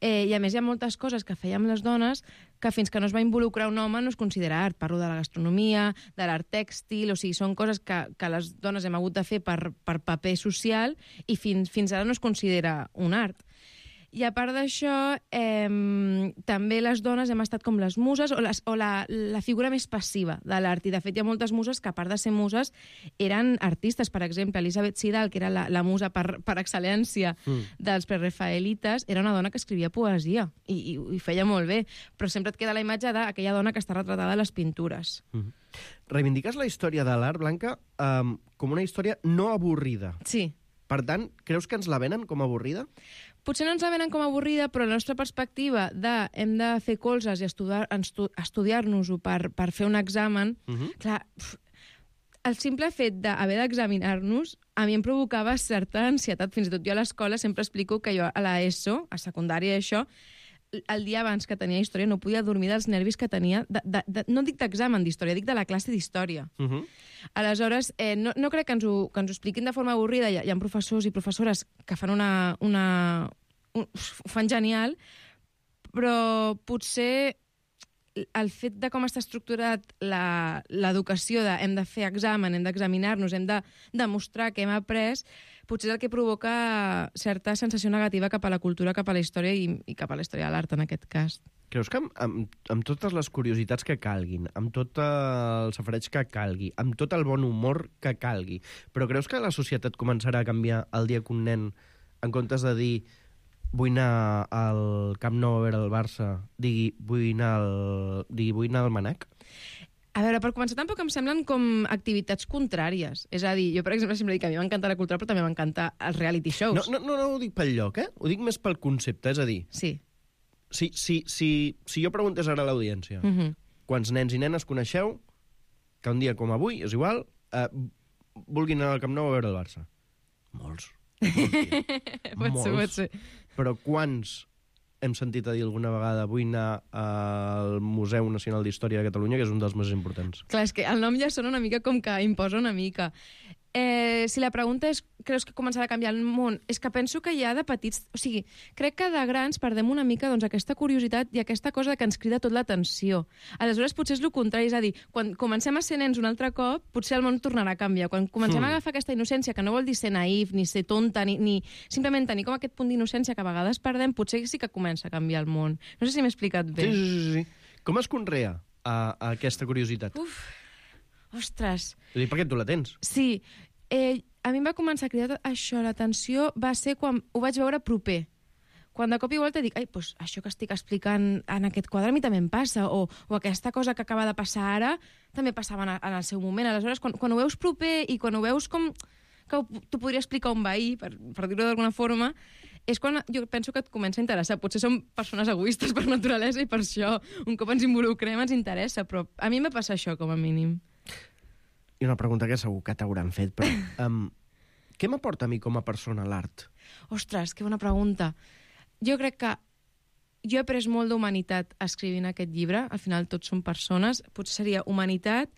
Eh, I a més hi ha moltes coses que fèiem les dones que fins que no es va involucrar un home no es considera art. Parlo de la gastronomia, de l'art tèxtil, o sigui, són coses que, que les dones hem hagut de fer per, per paper social i fins, fins ara no es considera un art. I a part d'això, eh, també les dones hem estat com les muses o, les, o la, la figura més passiva de l'art. I, de fet, hi ha moltes muses que, a part de ser muses, eren artistes. Per exemple, Elisabeth Sidal, que era la, la musa per, per excel·lència mm. dels prerafaelites, era una dona que escrivia poesia i, i, i feia molt bé. Però sempre et queda la imatge d'aquella dona que està retratada a les pintures. Mm. Reivindiques la història de l'art, Blanca, um, com una història no avorrida. Sí. Per tant, creus que ens la venen com a avorrida? Potser no ens la venen com a avorrida, però la nostra perspectiva de hem de fer colzes i estudiar, estudiar-nos-ho per, per fer un examen, uh-huh. clar, el simple fet d'haver d'examinar-nos a mi em provocava certa ansietat. Fins i tot jo a l'escola sempre explico que jo a l'ESO, a secundària i això, el dia abans que tenia història no podia dormir dels nervis que tenia, de, de, de, no dic d'examen d'història, dic de la classe d'història. Uh-huh. Aleshores, eh, no, no crec que ens, ho, que ens ho expliquin de forma avorrida. Hi ha, hi ha professors i professores que fan una... una un, ho fan genial, però potser el fet de com està estructurat l'educació de hem de fer examen, hem d'examinar-nos, hem de demostrar que hem après, potser és el que provoca certa sensació negativa cap a la cultura, cap a la història i, i cap a la història de l'art, en aquest cas. Creus que amb, amb, amb totes les curiositats que calguin, amb tot el safareig que calgui, amb tot el bon humor que calgui, però creus que la societat començarà a canviar el dia que un nen, en comptes de dir vull anar al Camp Nou a veure el Barça, digui vull anar al, digui, vull anar al Manac? A veure, per començar, tampoc em semblen com activitats contràries. És a dir, jo, per exemple, sempre dic que a mi m'encanta la cultura, però també m'encanta els reality shows. No, no, no, no ho dic pel lloc, eh? Ho dic més pel concepte, és a dir... Sí. Si, si, si, si jo preguntés ara a l'audiència, uh-huh. quants nens i nenes coneixeu que un dia com avui, és igual, eh, vulguin anar al Camp Nou a veure el Barça? Molts. pot ser, pot ser. Però quants hem sentit a dir alguna vegada vull anar al Museu Nacional d'Història de Catalunya, que és un dels més importants? Clar, és que el nom ja sona una mica com que imposa una mica. Eh, si la pregunta és, creus que començarà a canviar el món? És que penso que ja de petits... O sigui, crec que de grans perdem una mica doncs, aquesta curiositat i aquesta cosa que ens crida tot l'atenció. Aleshores, potser és el contrari, és a dir, quan comencem a ser nens un altre cop, potser el món tornarà a canviar. Quan comencem mm. a agafar aquesta innocència, que no vol dir ser naïf, ni ser tonta, ni, ni simplement tenir com aquest punt d'innocència que a vegades perdem, potser sí que comença a canviar el món. No sé si m'he explicat bé. Sí, sí, sí. Com es conrea a, a aquesta curiositat? Uf, ostres. Ho dic perquè tu la tens. Sí. Eh, a mi em va començar a cridar això, l'atenció va ser quan ho vaig veure proper. Quan de cop i volta dic, ai, doncs això que estic explicant en aquest quadre a mi també em passa, o, o aquesta cosa que acaba de passar ara també passava en, en el seu moment. Aleshores, quan, quan ho veus proper i quan ho veus com que t'ho podria explicar un veí, per, per dir-ho d'alguna forma, és quan jo penso que et comença a interessar. Potser som persones egoistes per naturalesa i per això, un cop ens involucrem, ens interessa, però a mi m'ha passat això, com a mínim. I una pregunta que segur que t'hauran fet, però um, què m'aporta a mi com a persona l'art? Ostres, que bona pregunta. Jo crec que jo he après molt d'humanitat escrivint aquest llibre, al final tots som persones, potser seria humanitat,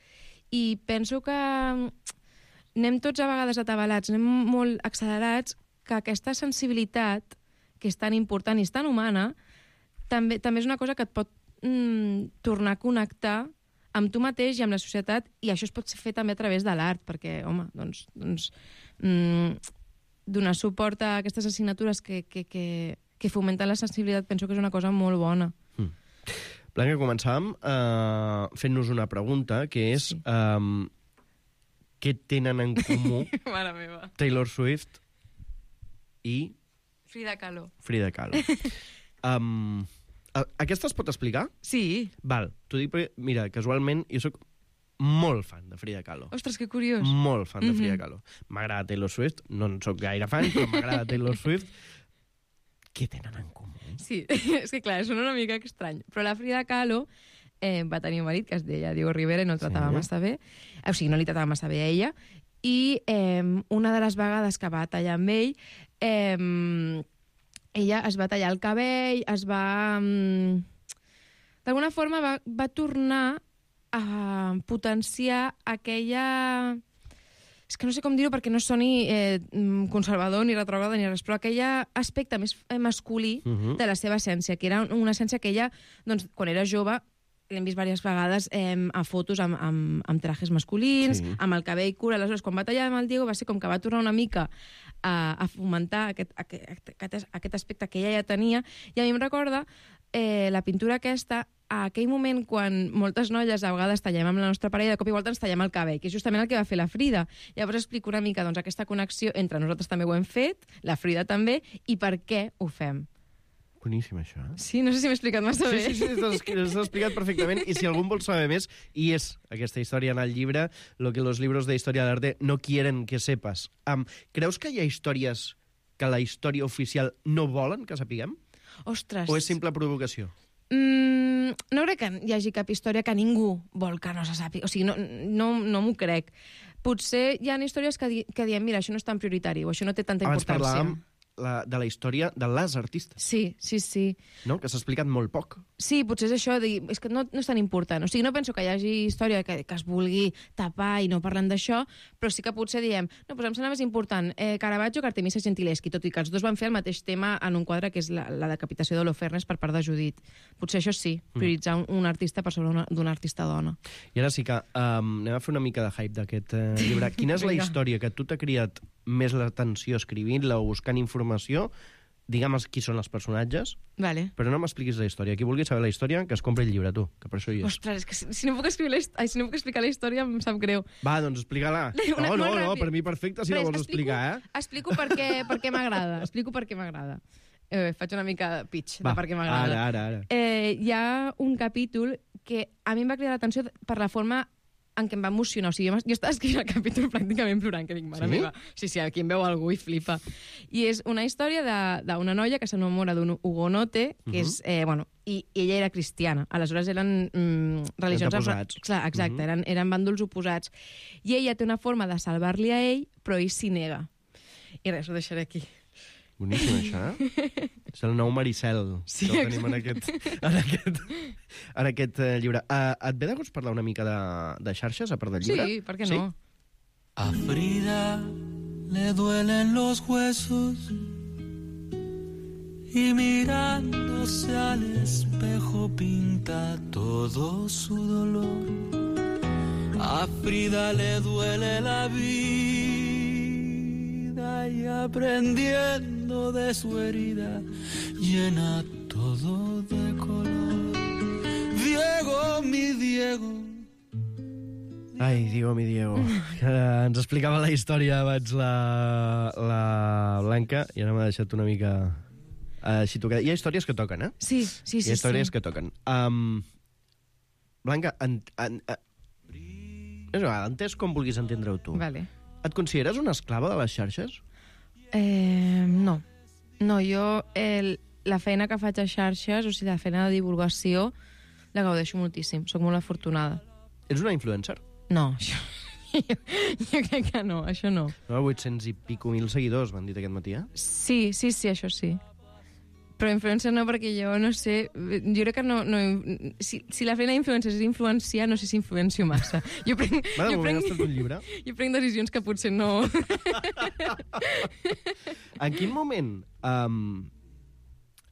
i penso que anem tots a vegades atabalats, anem molt accelerats, que aquesta sensibilitat, que és tan important i és tan humana, també, també és una cosa que et pot mm, tornar a connectar amb tu mateix i amb la societat, i això es pot fer també a través de l'art, perquè, home, doncs, doncs mm, donar suport a aquestes assignatures que, que, que, que fomenten la sensibilitat penso que és una cosa molt bona. Mm. Blanca, començàvem uh, fent-nos una pregunta, que és sí. um, què tenen en comú Mare meva. Taylor Swift i... Frida Kahlo. Frida Kahlo. um, aquesta es pot explicar? Sí. Val, t'ho dic perquè, mira, casualment, jo sóc molt fan de Frida Kahlo. Ostres, que curiós. Molt fan de Frida Mm-hmm. Kahlo. M'agrada Taylor Swift, no en sóc gaire fan, però m'agrada Taylor Swift. Què tenen en comú? Sí, és que clar, sona una mica estrany. Però la Frida Kahlo eh, va tenir un marit que es deia Diego Rivera i no el tratava Sí. massa bé. O sigui, no li tratava massa bé a ella. I eh, una de les vegades que va tallar amb ell, eh, ella es va tallar el cabell, es va... Mm, d'alguna forma va, va tornar a potenciar aquella... És que no sé com dir-ho perquè no soni eh, conservador ni retrògrada ni res, però aquell aspecte més masculí Mhm. de la seva essència, que era una essència que ella, doncs, quan era jove, l'hem vist diverses vegades eh, a fotos amb, amb, amb trajes masculins, Sí. amb el cabell curt. Aleshores, quan va tallar amb el Diego va ser com que va tornar una mica a, a fomentar aquest, aquest, aquest, aquest aspecte que ella ja tenia, i a mi em recorda eh, la pintura aquesta a aquell moment quan moltes noies a vegades tallem amb la nostra parella, de cop i volta ens tallem el cabell, que és justament el que va fer la Frida. Llavors explico una mica doncs, aquesta connexió entre nosaltres també ho hem fet, la Frida també, i per què ho fem. Boníssim, això. Eh? Sí, no sé si m'he explicat massa bé. Sí, sí, sí, t'has t'has explicat perfectament. I si algú en vol saber més, i és aquesta història en el llibre, lo que los libros de historia del arte no quieren que sepas. Um, creus que hi ha històries que la història oficial no volen que sapiguem? Ostres. O és simple provocació? Mm, no crec que hi hagi cap història que ningú vol que no se sàpiga. O sigui, no, no, no m'ho crec. Potser hi ha històries que, di que diem, mira, això no és tan prioritari, o això no té tanta Abans importància. parlàvem la, de la història de les artistes. Sí, sí, sí. No? Que s'ha explicat molt poc. Sí, potser és això, de dir, és que no, no és tan important. O sigui, no penso que hi hagi història que, que es vulgui tapar i no parlen d'això, però sí que potser diem, no, doncs em sembla més important eh, Caravaggio que Artemisia Gentileschi, tot i que els dos van fer el mateix tema en un quadre que és la, la decapitació d'Holofernes per part de Judit. Potser això sí, prioritzar un, un artista per sobre d'una artista dona. I ara sí que um, anem a fer una mica de hype d'aquest uh, llibre. Quina és la Vinga. història que tu t'ha cridat més l'atenció escrivint-la o buscant informació? Digue'm qui són els personatges, Vale. però no m'expliquis la història. Qui vulgui saber la història, que es compri el llibre, tu, que per això hi és. Ostres, és que si, si, no puc escriure la hist- Ai, si no puc explicar la història em sap greu. Va, doncs explica-la. Una- No, no, molt no, ràpid. per mi perfecte si Però la és- vols explico- explicar, eh? Explico per què, per què m'agrada. Explico per què m'agrada. Eh, faig una mica de pitch Va, de per què m'agrada. ara, ara, ara. Eh, hi ha un capítol que a mi em va cridar l'atenció per la forma en què em va emocionar. O sigui, jo, jo estava escrivint el capítol pràcticament plorant, que dic, mare Sí? meva. Sí, sí, aquí em veu algú i flipa. I és una història de- d'una noia que s'enamora d'un hugonote, que Mhm. és, eh, bueno, i, i ella era cristiana. Aleshores eren mm, religions... Anteposats. Clar, exacte, Mhm. eren, eren bàndols oposats. I ella té una forma de salvar-li a ell, però ell s'hi nega. I res, ho deixaré aquí. Boníssim, això, eh? És el nou Maricel Sí, que el tenim en aquest, en aquest, en aquest uh, llibre. Uh, et ve de gust parlar una mica de, de xarxes, a part del llibre? Sí, per què no? A Frida le duelen los huesos y mirándose al espejo pinta todo su dolor. A Frida le duele la vida y aprendiendo de su herida llena todo de color. Diego, mi Diego. Ai, Diego, mi Diego. Que ens explicava la història abans la, la Blanca i ara m'ha deixat una mica així tocada. Hi ha històries que toquen, eh? Sí, sí, sí. Hi ha històries sí. que toquen. Um, Blanca, en, en, en, és igual, entès com vulguis entendre-ho tu. Vale. Et consideres una esclava de les xarxes? Eh, no. No, jo el, la feina que faig a xarxes, o sigui, la feina de divulgació, la gaudeixo moltíssim. Soc molt afortunada. Ets una influencer? No, això... jo, jo crec que no, això no. No, vuit-cents i pico mil seguidors, m'han dit aquest matí, eh? Sí, sí, sí, això sí. Però influencer no, perquè jo no sé... Jo crec que no... no si, si la feina d'influencer és influenciar, no sé si influencio massa. Jo prenc, Va, de jo moment prenc, has fet un llibre. Jo prenc decisions que potser no... En quin moment um,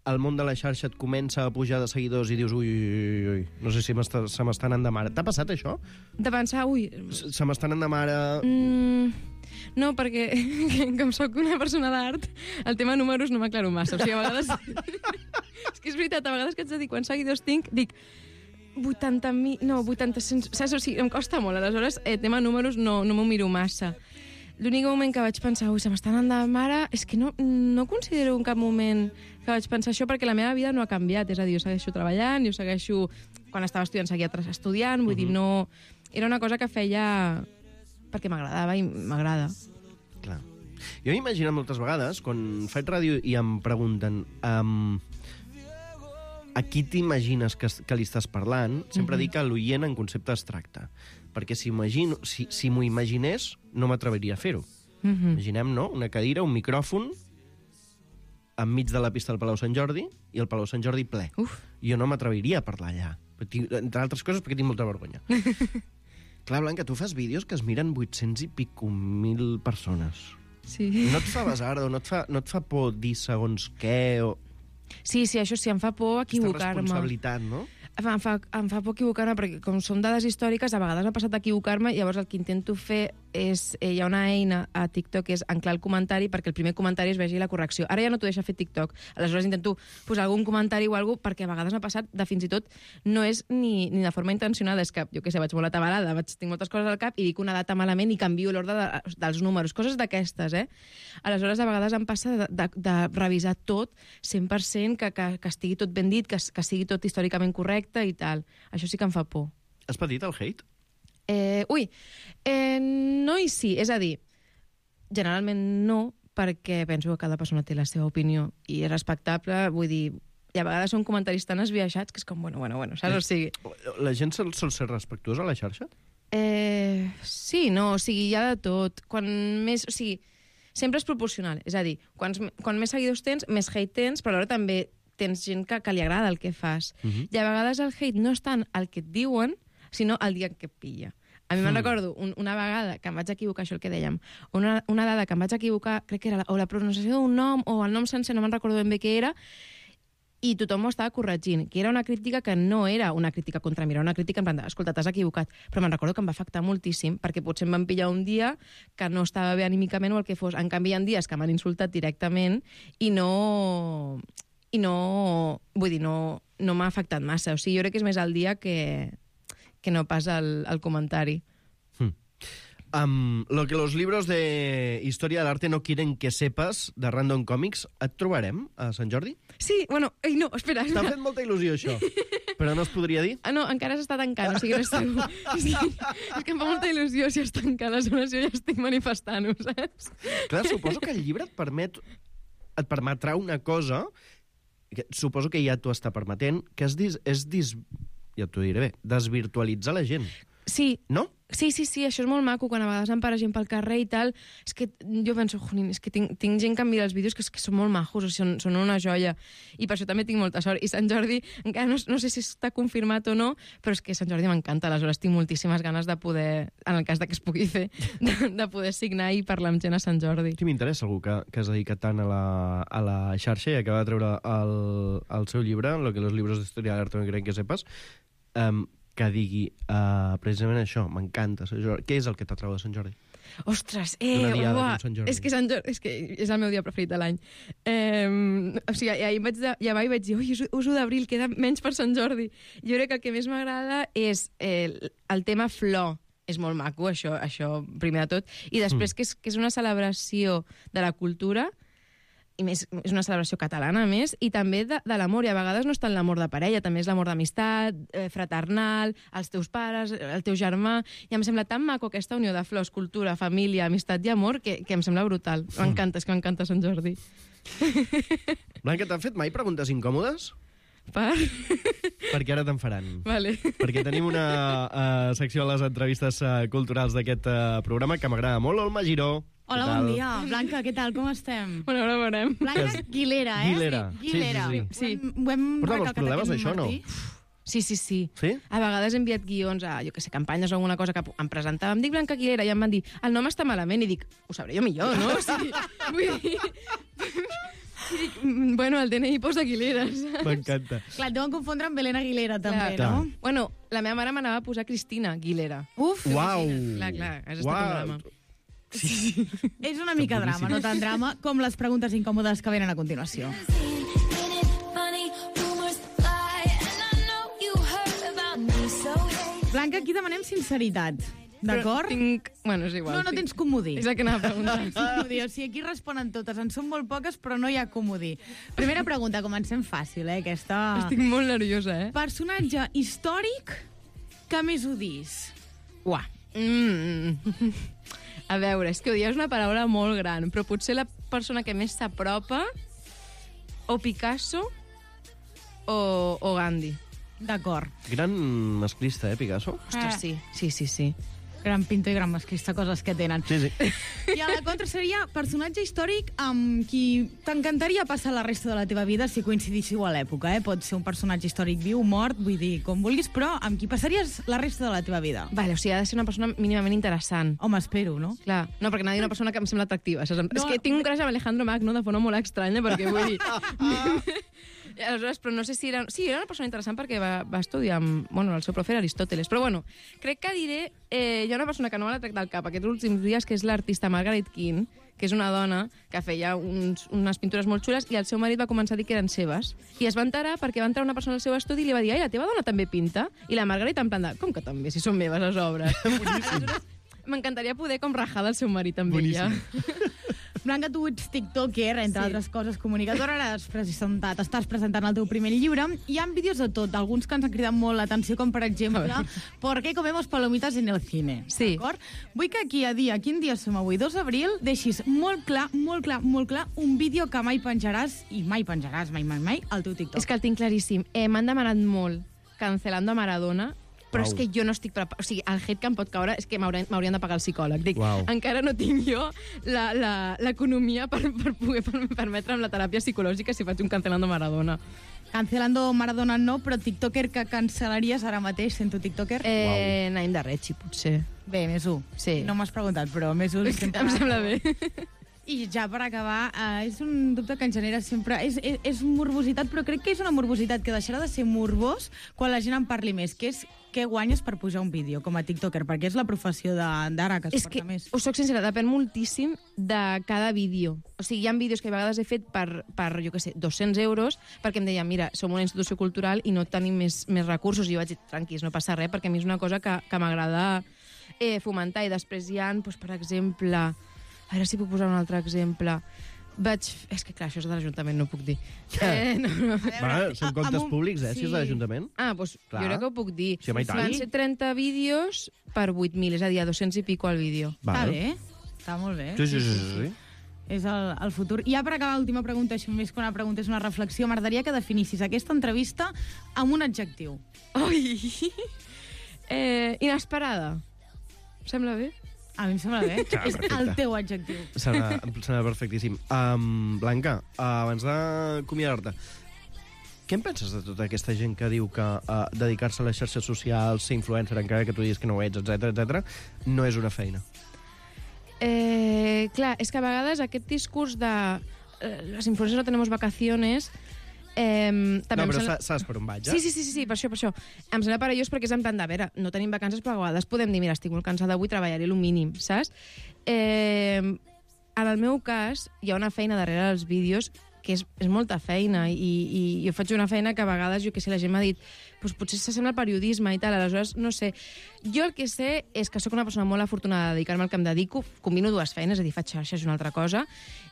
el món de la xarxa et comença a pujar de seguidors i dius ui, ui, ui, no sé si se m'estan anant de mare. T'ha passat això? De pensar, ui... Se, se m'estan anant de mare... Mm, no, perquè com sóc una persona d'art, el tema números no m'aclaro massa. O sigui, a vegades... és que és veritat, a vegades que ets de dir quants seguidors tinc, dic vuitanta mil... No, vuitanta... Saps? O sigui, em costa molt. Aleshores, el tema números no, no m'ho miro massa. L'únic moment que vaig pensar, ui, se m'estan anant de mare, és que no, no considero en cap moment que vaig pensar això, perquè la meva vida no ha canviat. És a dir, jo segueixo treballant, jo segueixo... Quan estava estudiant, seguia estudiant, vull uh-huh. dir, no... Era una cosa que feia perquè m'agradava i m'agrada. Clar. Jo m'imagino moltes vegades, quan faig ràdio i em pregunten um, a qui t'imagines que, que li estàs parlant, sempre uh-huh. dic a l'oient en concepte abstracte. Perquè si, imagino, si, si m'ho imaginés, no m'atreviria a fer-ho. Uh-huh. Imaginem, no?, una cadira, un micròfon, enmig de la pista del Palau Sant Jordi, i el Palau Sant Jordi ple. Uf. Jo no m'atreviria a parlar allà. Entre altres coses, perquè tinc molta vergonya. Clar, Blanca, tu fas vídeos que es miren vuit-cents i pico mil persones. Sí. No et fa basardo, no et fa, no et fa por dir segons què o... Sí, sí, això sí, em fa por equivocar-me. Aquesta responsabilitat, no? Em fa, em fa por equivocar-me, perquè com són dades històriques, a vegades m'ha passat equivocar-me, i llavors el que intento fer és... Eh, hi ha una eina a TikTok que és anclar el comentari perquè el primer comentari es vegi la correcció. Ara ja no t'ho deixa fer TikTok. Aleshores intento posar algun comentari o alguna cosa, perquè a vegades m'ha passat de fins i tot no és ni, ni de forma intencionada, és que, jo què sé, vaig molt atabalada, vaig, tinc moltes coses al cap i dic una data malament i canvio l'ordre de, dels números, coses d'aquestes, eh? Aleshores, a vegades em passa de, de, de revisar tot cent per cent, que, que, que estigui tot ben dit, que, que sigui tot històricament correcte i tal. Això sí que em fa por. Has patit el hate? Eh, ui, eh, no i sí, és a dir, generalment no, perquè penso que cada persona té la seva opinió i és respectable, vull dir, i a vegades són comentaris tan esbiaixats que és com, bueno, bueno, bueno, saps? O sigui... La gent sol, sol ser respectuosa a la xarxa? Eh, sí, no, o sigui, hi ha de tot. Quan més, o sigui, sempre és proporcional, és a dir, quants, quan més seguidors tens, més hate tens, però alhora també tens gent que, que li agrada el que fas. Uh-huh. I a vegades el hate no és tant el que et diuen, sinó el dia que et pilla. A mi me'n mm. recordo un, una vegada que em vaig equivocar, això el que dèiem, una, una dada que em vaig equivocar, crec que era la, o la pronunciació d'un nom o el nom sencer, no me'n recordo ben bé què era, i tothom ho estava corregint, que era una crítica que no era una crítica contra mi, era una crítica en plan de, escolta, t'has equivocat. Però me'n recordo que em va afectar moltíssim, perquè potser em van pillar un dia que no estava bé anímicament o el que fos. En canvi, hi ha dies que m'han insultat directament i no... i no... vull dir, no, no m'ha afectat massa. O sigui, jo crec que és més el dia que... que no pasa el, el comentari. Hmm. Um, lo que los libros de historia del arte no quieren que sepas, de Random Comics, et trobarem a Sant Jordi? Sí, bueno, ai, no, espera. espera. T'ha fet molta il·lusió, això. Però no es podria dir? Ah, no, encara s'està tancant, o sigui, no estic... és, que, és que em fa molta il·lusió si es tanca, aleshores jo ja estic manifestant-ho, saps? Clar, suposo que el llibre et permet... et permetrà una cosa, que suposo que ja t'ho està permetent, que és dis... És dis ja t'ho diré bé, desvirtualitzar la gent. Sí. No? Sí, sí, sí, això és molt maco, quan a vegades em para gent pel carrer i tal, és que jo penso, jonin, és que tinc, tinc gent que em mira els vídeos que, és que són molt majos, o sigui, són, són una joia, i per això també tinc molta sort. I Sant Jordi, encara no, no sé si està confirmat o no, però és que Sant Jordi m'encanta, aleshores tinc moltíssimes ganes de poder, en el cas de que es pugui fer, de, de poder signar i parlar amb gent a Sant Jordi. Sí, m'interessa algú que, que es dedica tant a la, a la xarxa i acaba de treure el, el seu llibre, Lo que los libros de historia del arte no quieren que sepas, um, que digui uh, precisament això, m'encanta. Què és el que t'atrau de Sant Jordi? Ostres, eh, uah, és que Sant Jordi és, que és el meu dia preferit de l'any. Eh, o sigui, ahir vaig de, ja vaig dir, ui, és u d'abril, queda menys per Sant Jordi. Jo crec que el que més m'agrada és eh, el tema flor. És molt maco, això, això primer de tot. I després mm. que, és, que és una celebració de la cultura. i més, és una celebració catalana, a més, i també de, de l'amor, i a vegades no és tant l'amor de parella, també és l'amor d'amistat, eh, fraternal, els teus pares, el teu germà, i em sembla tan maco aquesta unió de flors, cultura, família, amistat i amor, que, que em sembla brutal. M'encanta, és que m'encanta Sant Jordi. Blanca, t'han fet mai preguntes incòmodes? Per? Perquè ara te'n faran. Vale. Perquè tenim una uh, secció a les entrevistes uh, culturals d'aquest uh, programa que m'agrada molt, el Magiró. Hola, bon dia. Blanca, què tal? Com estem? Bueno, ara veurem. Blanca Guilera, eh? Guilera. Sí, Guilera. Sí, sí, sí. Ho hem Porta molts recalcat problemes, aquí, això, no? Martí. Sí, sí, sí. Sí? A vegades he enviat guions a, jo que sé, campanyes o alguna cosa que em presentava. Em dic Blanca Guilera i em van dir, el nom està malament. I dic, ho sabré jo millor, no? O sigui, vull dir... I dic, bueno, el D N I posa Aguilera. M'encanta. Clar, et deuen confondre amb Belén Aguilera, també, clar, no? Bueno, la meva mare m'anava a posar Cristina Aguilera. Uf! Uau! Clar, clar, has estat un drama. Sí. És una mica drama, no tan drama com les preguntes incòmodes que venen a continuació. Blanca, aquí demanem sinceritat, d'acord? Tinc... Bueno, és igual. No, no tinc... tens comodí. És el que anava a preguntar. Comodí. O sigui, aquí responen totes. En són molt poques, però no hi ha comodí. Primera pregunta, comencem fàcil, eh? Aquesta... Estic molt nerviosa, eh? Personatge històric que més odis. Uah. Mm. A veure, és que odiar és una paraula molt gran, però potser la persona que més s'apropa o Picasso o, o Gandhi. D'acord. Gran masclista, eh, Picasso? Ostres, sí, sí, sí, sí. Gran pintor i gran masclista, coses que tenen. Sí, sí. I a la contra seria personatge històric amb qui t'encantaria passar la resta de la teva vida si coincidíssiu a l'època, eh? Pot ser un personatge històric viu, mort, vull dir, com vulguis, però amb qui passaries la resta de la teva vida. Vale, o sigui, ha de ser una persona mínimament interessant. Home, espero, no? Clar, no, perquè n'ha de dir una persona que em sembla atractiva. Saps? No, és que tinc un crush amb Alejandro Magno de forma molt estranya, perquè vull dir... I aleshores, però no sé si era... Sí, era una persona interessant perquè va, va estudiar amb... Bueno, el seu profe era Aristòteles. Però bueno, crec que diré... Eh, hi ha una persona que no me l'ha tractat del cap aquests últims dies, que és l'artista Margaret King, que és una dona que feia uns, unes pintures molt xules i el seu marit va començar a dir que eren seves. I es va enterar perquè va entrar una persona al seu estudi i li va dir, ai, la teva dona també pinta? I la Margaret en plan de, com que també, si són meves les obres? Aleshores, m'encantaria poder com rajar del seu marit amb ella. Blanca, tu ets tiktoker, entre sí. altres coses, comunicadora, ara has presentat, estàs presentant el teu primer llibre. Hi ha vídeos de tot, alguns que ens han cridat molt l'atenció, com per exemple, ¿por qué comemos palomitas en el cine? Sí. D'acord? Vull que aquí a dia, quin dia som avui? dos d'abril, deixis molt clar, molt clar, molt clar, un vídeo que mai penjaràs, i mai penjaràs, mai, mai, mai, al teu TikTok. És que el tinc claríssim. Eh, M'han demanat molt Cancelando a Maradona, però Uau. és que jo no estic preparat. O sigui, el hate que em pot caure és que m'haurien m'haurien de pagar el psicòleg. Dic, Uau. encara no tinc jo la- la- l'economia per, per poder per, permetre'm la teràpia psicològica si faig un Cancelando Maradona. Cancelando Maradona no, però tiktoker que cancel·laries ara mateix, sent tu tiktoker? Eh, Naim Darrechi, potser. Bé, més un. Sí. No m'has preguntat, però més un sempre... Em sembla bé. I ja per acabar, eh, és un dubte que ens genera sempre... És, és, és morbositat, però crec que és una morbositat que deixarà de ser morbós quan la gent en parli més, que és què guanyes per pujar un vídeo com a tiktoker, perquè és la professió de- d'ara que es És porta que, més. us soc sincera, depèn moltíssim de cada vídeo. O sigui, hi ha vídeos que a vegades he fet per, per jo què sé, dos-cents euros, perquè em deien, mira, som una institució cultural i no tenim més, més recursos. I jo vaig dir, tranquils, no passa res, perquè a mi és una cosa que, que m'agrada eh, fomentar. I després hi ha, doncs, per exemple... A veure si puc posar un altre exemple. Vaig... És que, clar, això és de l'Ajuntament, no puc dir. Eh, no, no. Va, són comptes un- públics, eh, si sí. és de l'Ajuntament. Ah, doncs Clar. jo crec que ho puc dir. Sí, home, i tant. Van ser trenta vídeos per vuit mil, és a dir, a dos-cents i pico al vídeo. Està Vale. bé, està molt bé. Sí, sí, sí, sí, sí. És el, el futur. I ja per acabar, l'última pregunta, això més que una pregunta, és una reflexió. M'agradaria que definissis aquesta entrevista amb un adjectiu. Ui! Eh, inesperada. Em sembla bé? A mi em sembla bé. Ah, És perfecte. el teu adjectiu. Serà, serà perfectíssim. Um, Blanca, uh, abans d'acomiadar-te, què en penses de tota aquesta gent que diu que uh, dedicar-se a les xarxes socials, ser influencer, encara que tu diguis que no ho ets, etcètera, etcètera, no és una feina? Eh, clar, és que a vegades aquest discurs de eh, les influencers no tenemos vacaciones eh, també No, em però sembla... sa- saps per on vaig, eh? Sí, sí, sí, sí, sí, per això, per això. Em sembla perillós perquè és en plan de, a veure, no tenim vacances, però a vegades podem dir, mira, estic molt cansada avui, treballaré el mínim, saps? Eh, en el meu cas, hi ha una feina darrere dels vídeos que és, és molta feina i, i jo faig una feina que a vegades, jo que sé, la gent m'ha dit doncs potser s'assembla al periodisme i tal, aleshores, no sé. Jo el que sé és que sóc una persona molt afortunada de dedicar-me al que em dedico, combino dues feines, és a dir, faig xarxa, és una altra cosa,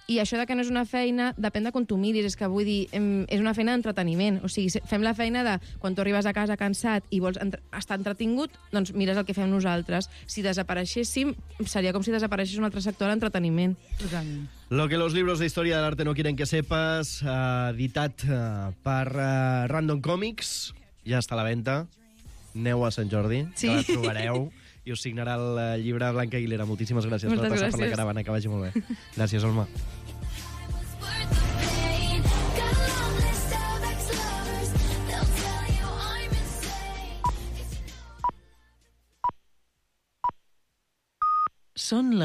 i això de que no és una feina depèn de quan tu miris, és que vull dir, em, és una feina d'entreteniment, o sigui, fem la feina de quan tu arribes a casa cansat i vols entre estar entretingut, doncs mires el que fem nosaltres. Si desapareixéssim, seria com si desapareixés un altre sector de l'entreteniment. Totalment. Lo que los libros de historia del arte no quieren que sepas, uh, editat uh, per uh, Random Comics, ja està a la venda. Aneu a Sant Jordi, Sí. que la trobareu, i us signarà el uh, llibre Blanca Aguilera. Moltíssimes gràcies Moltes per passar per la gràcies. caravana, que vagi molt bé. Gràcies, Olma. Són les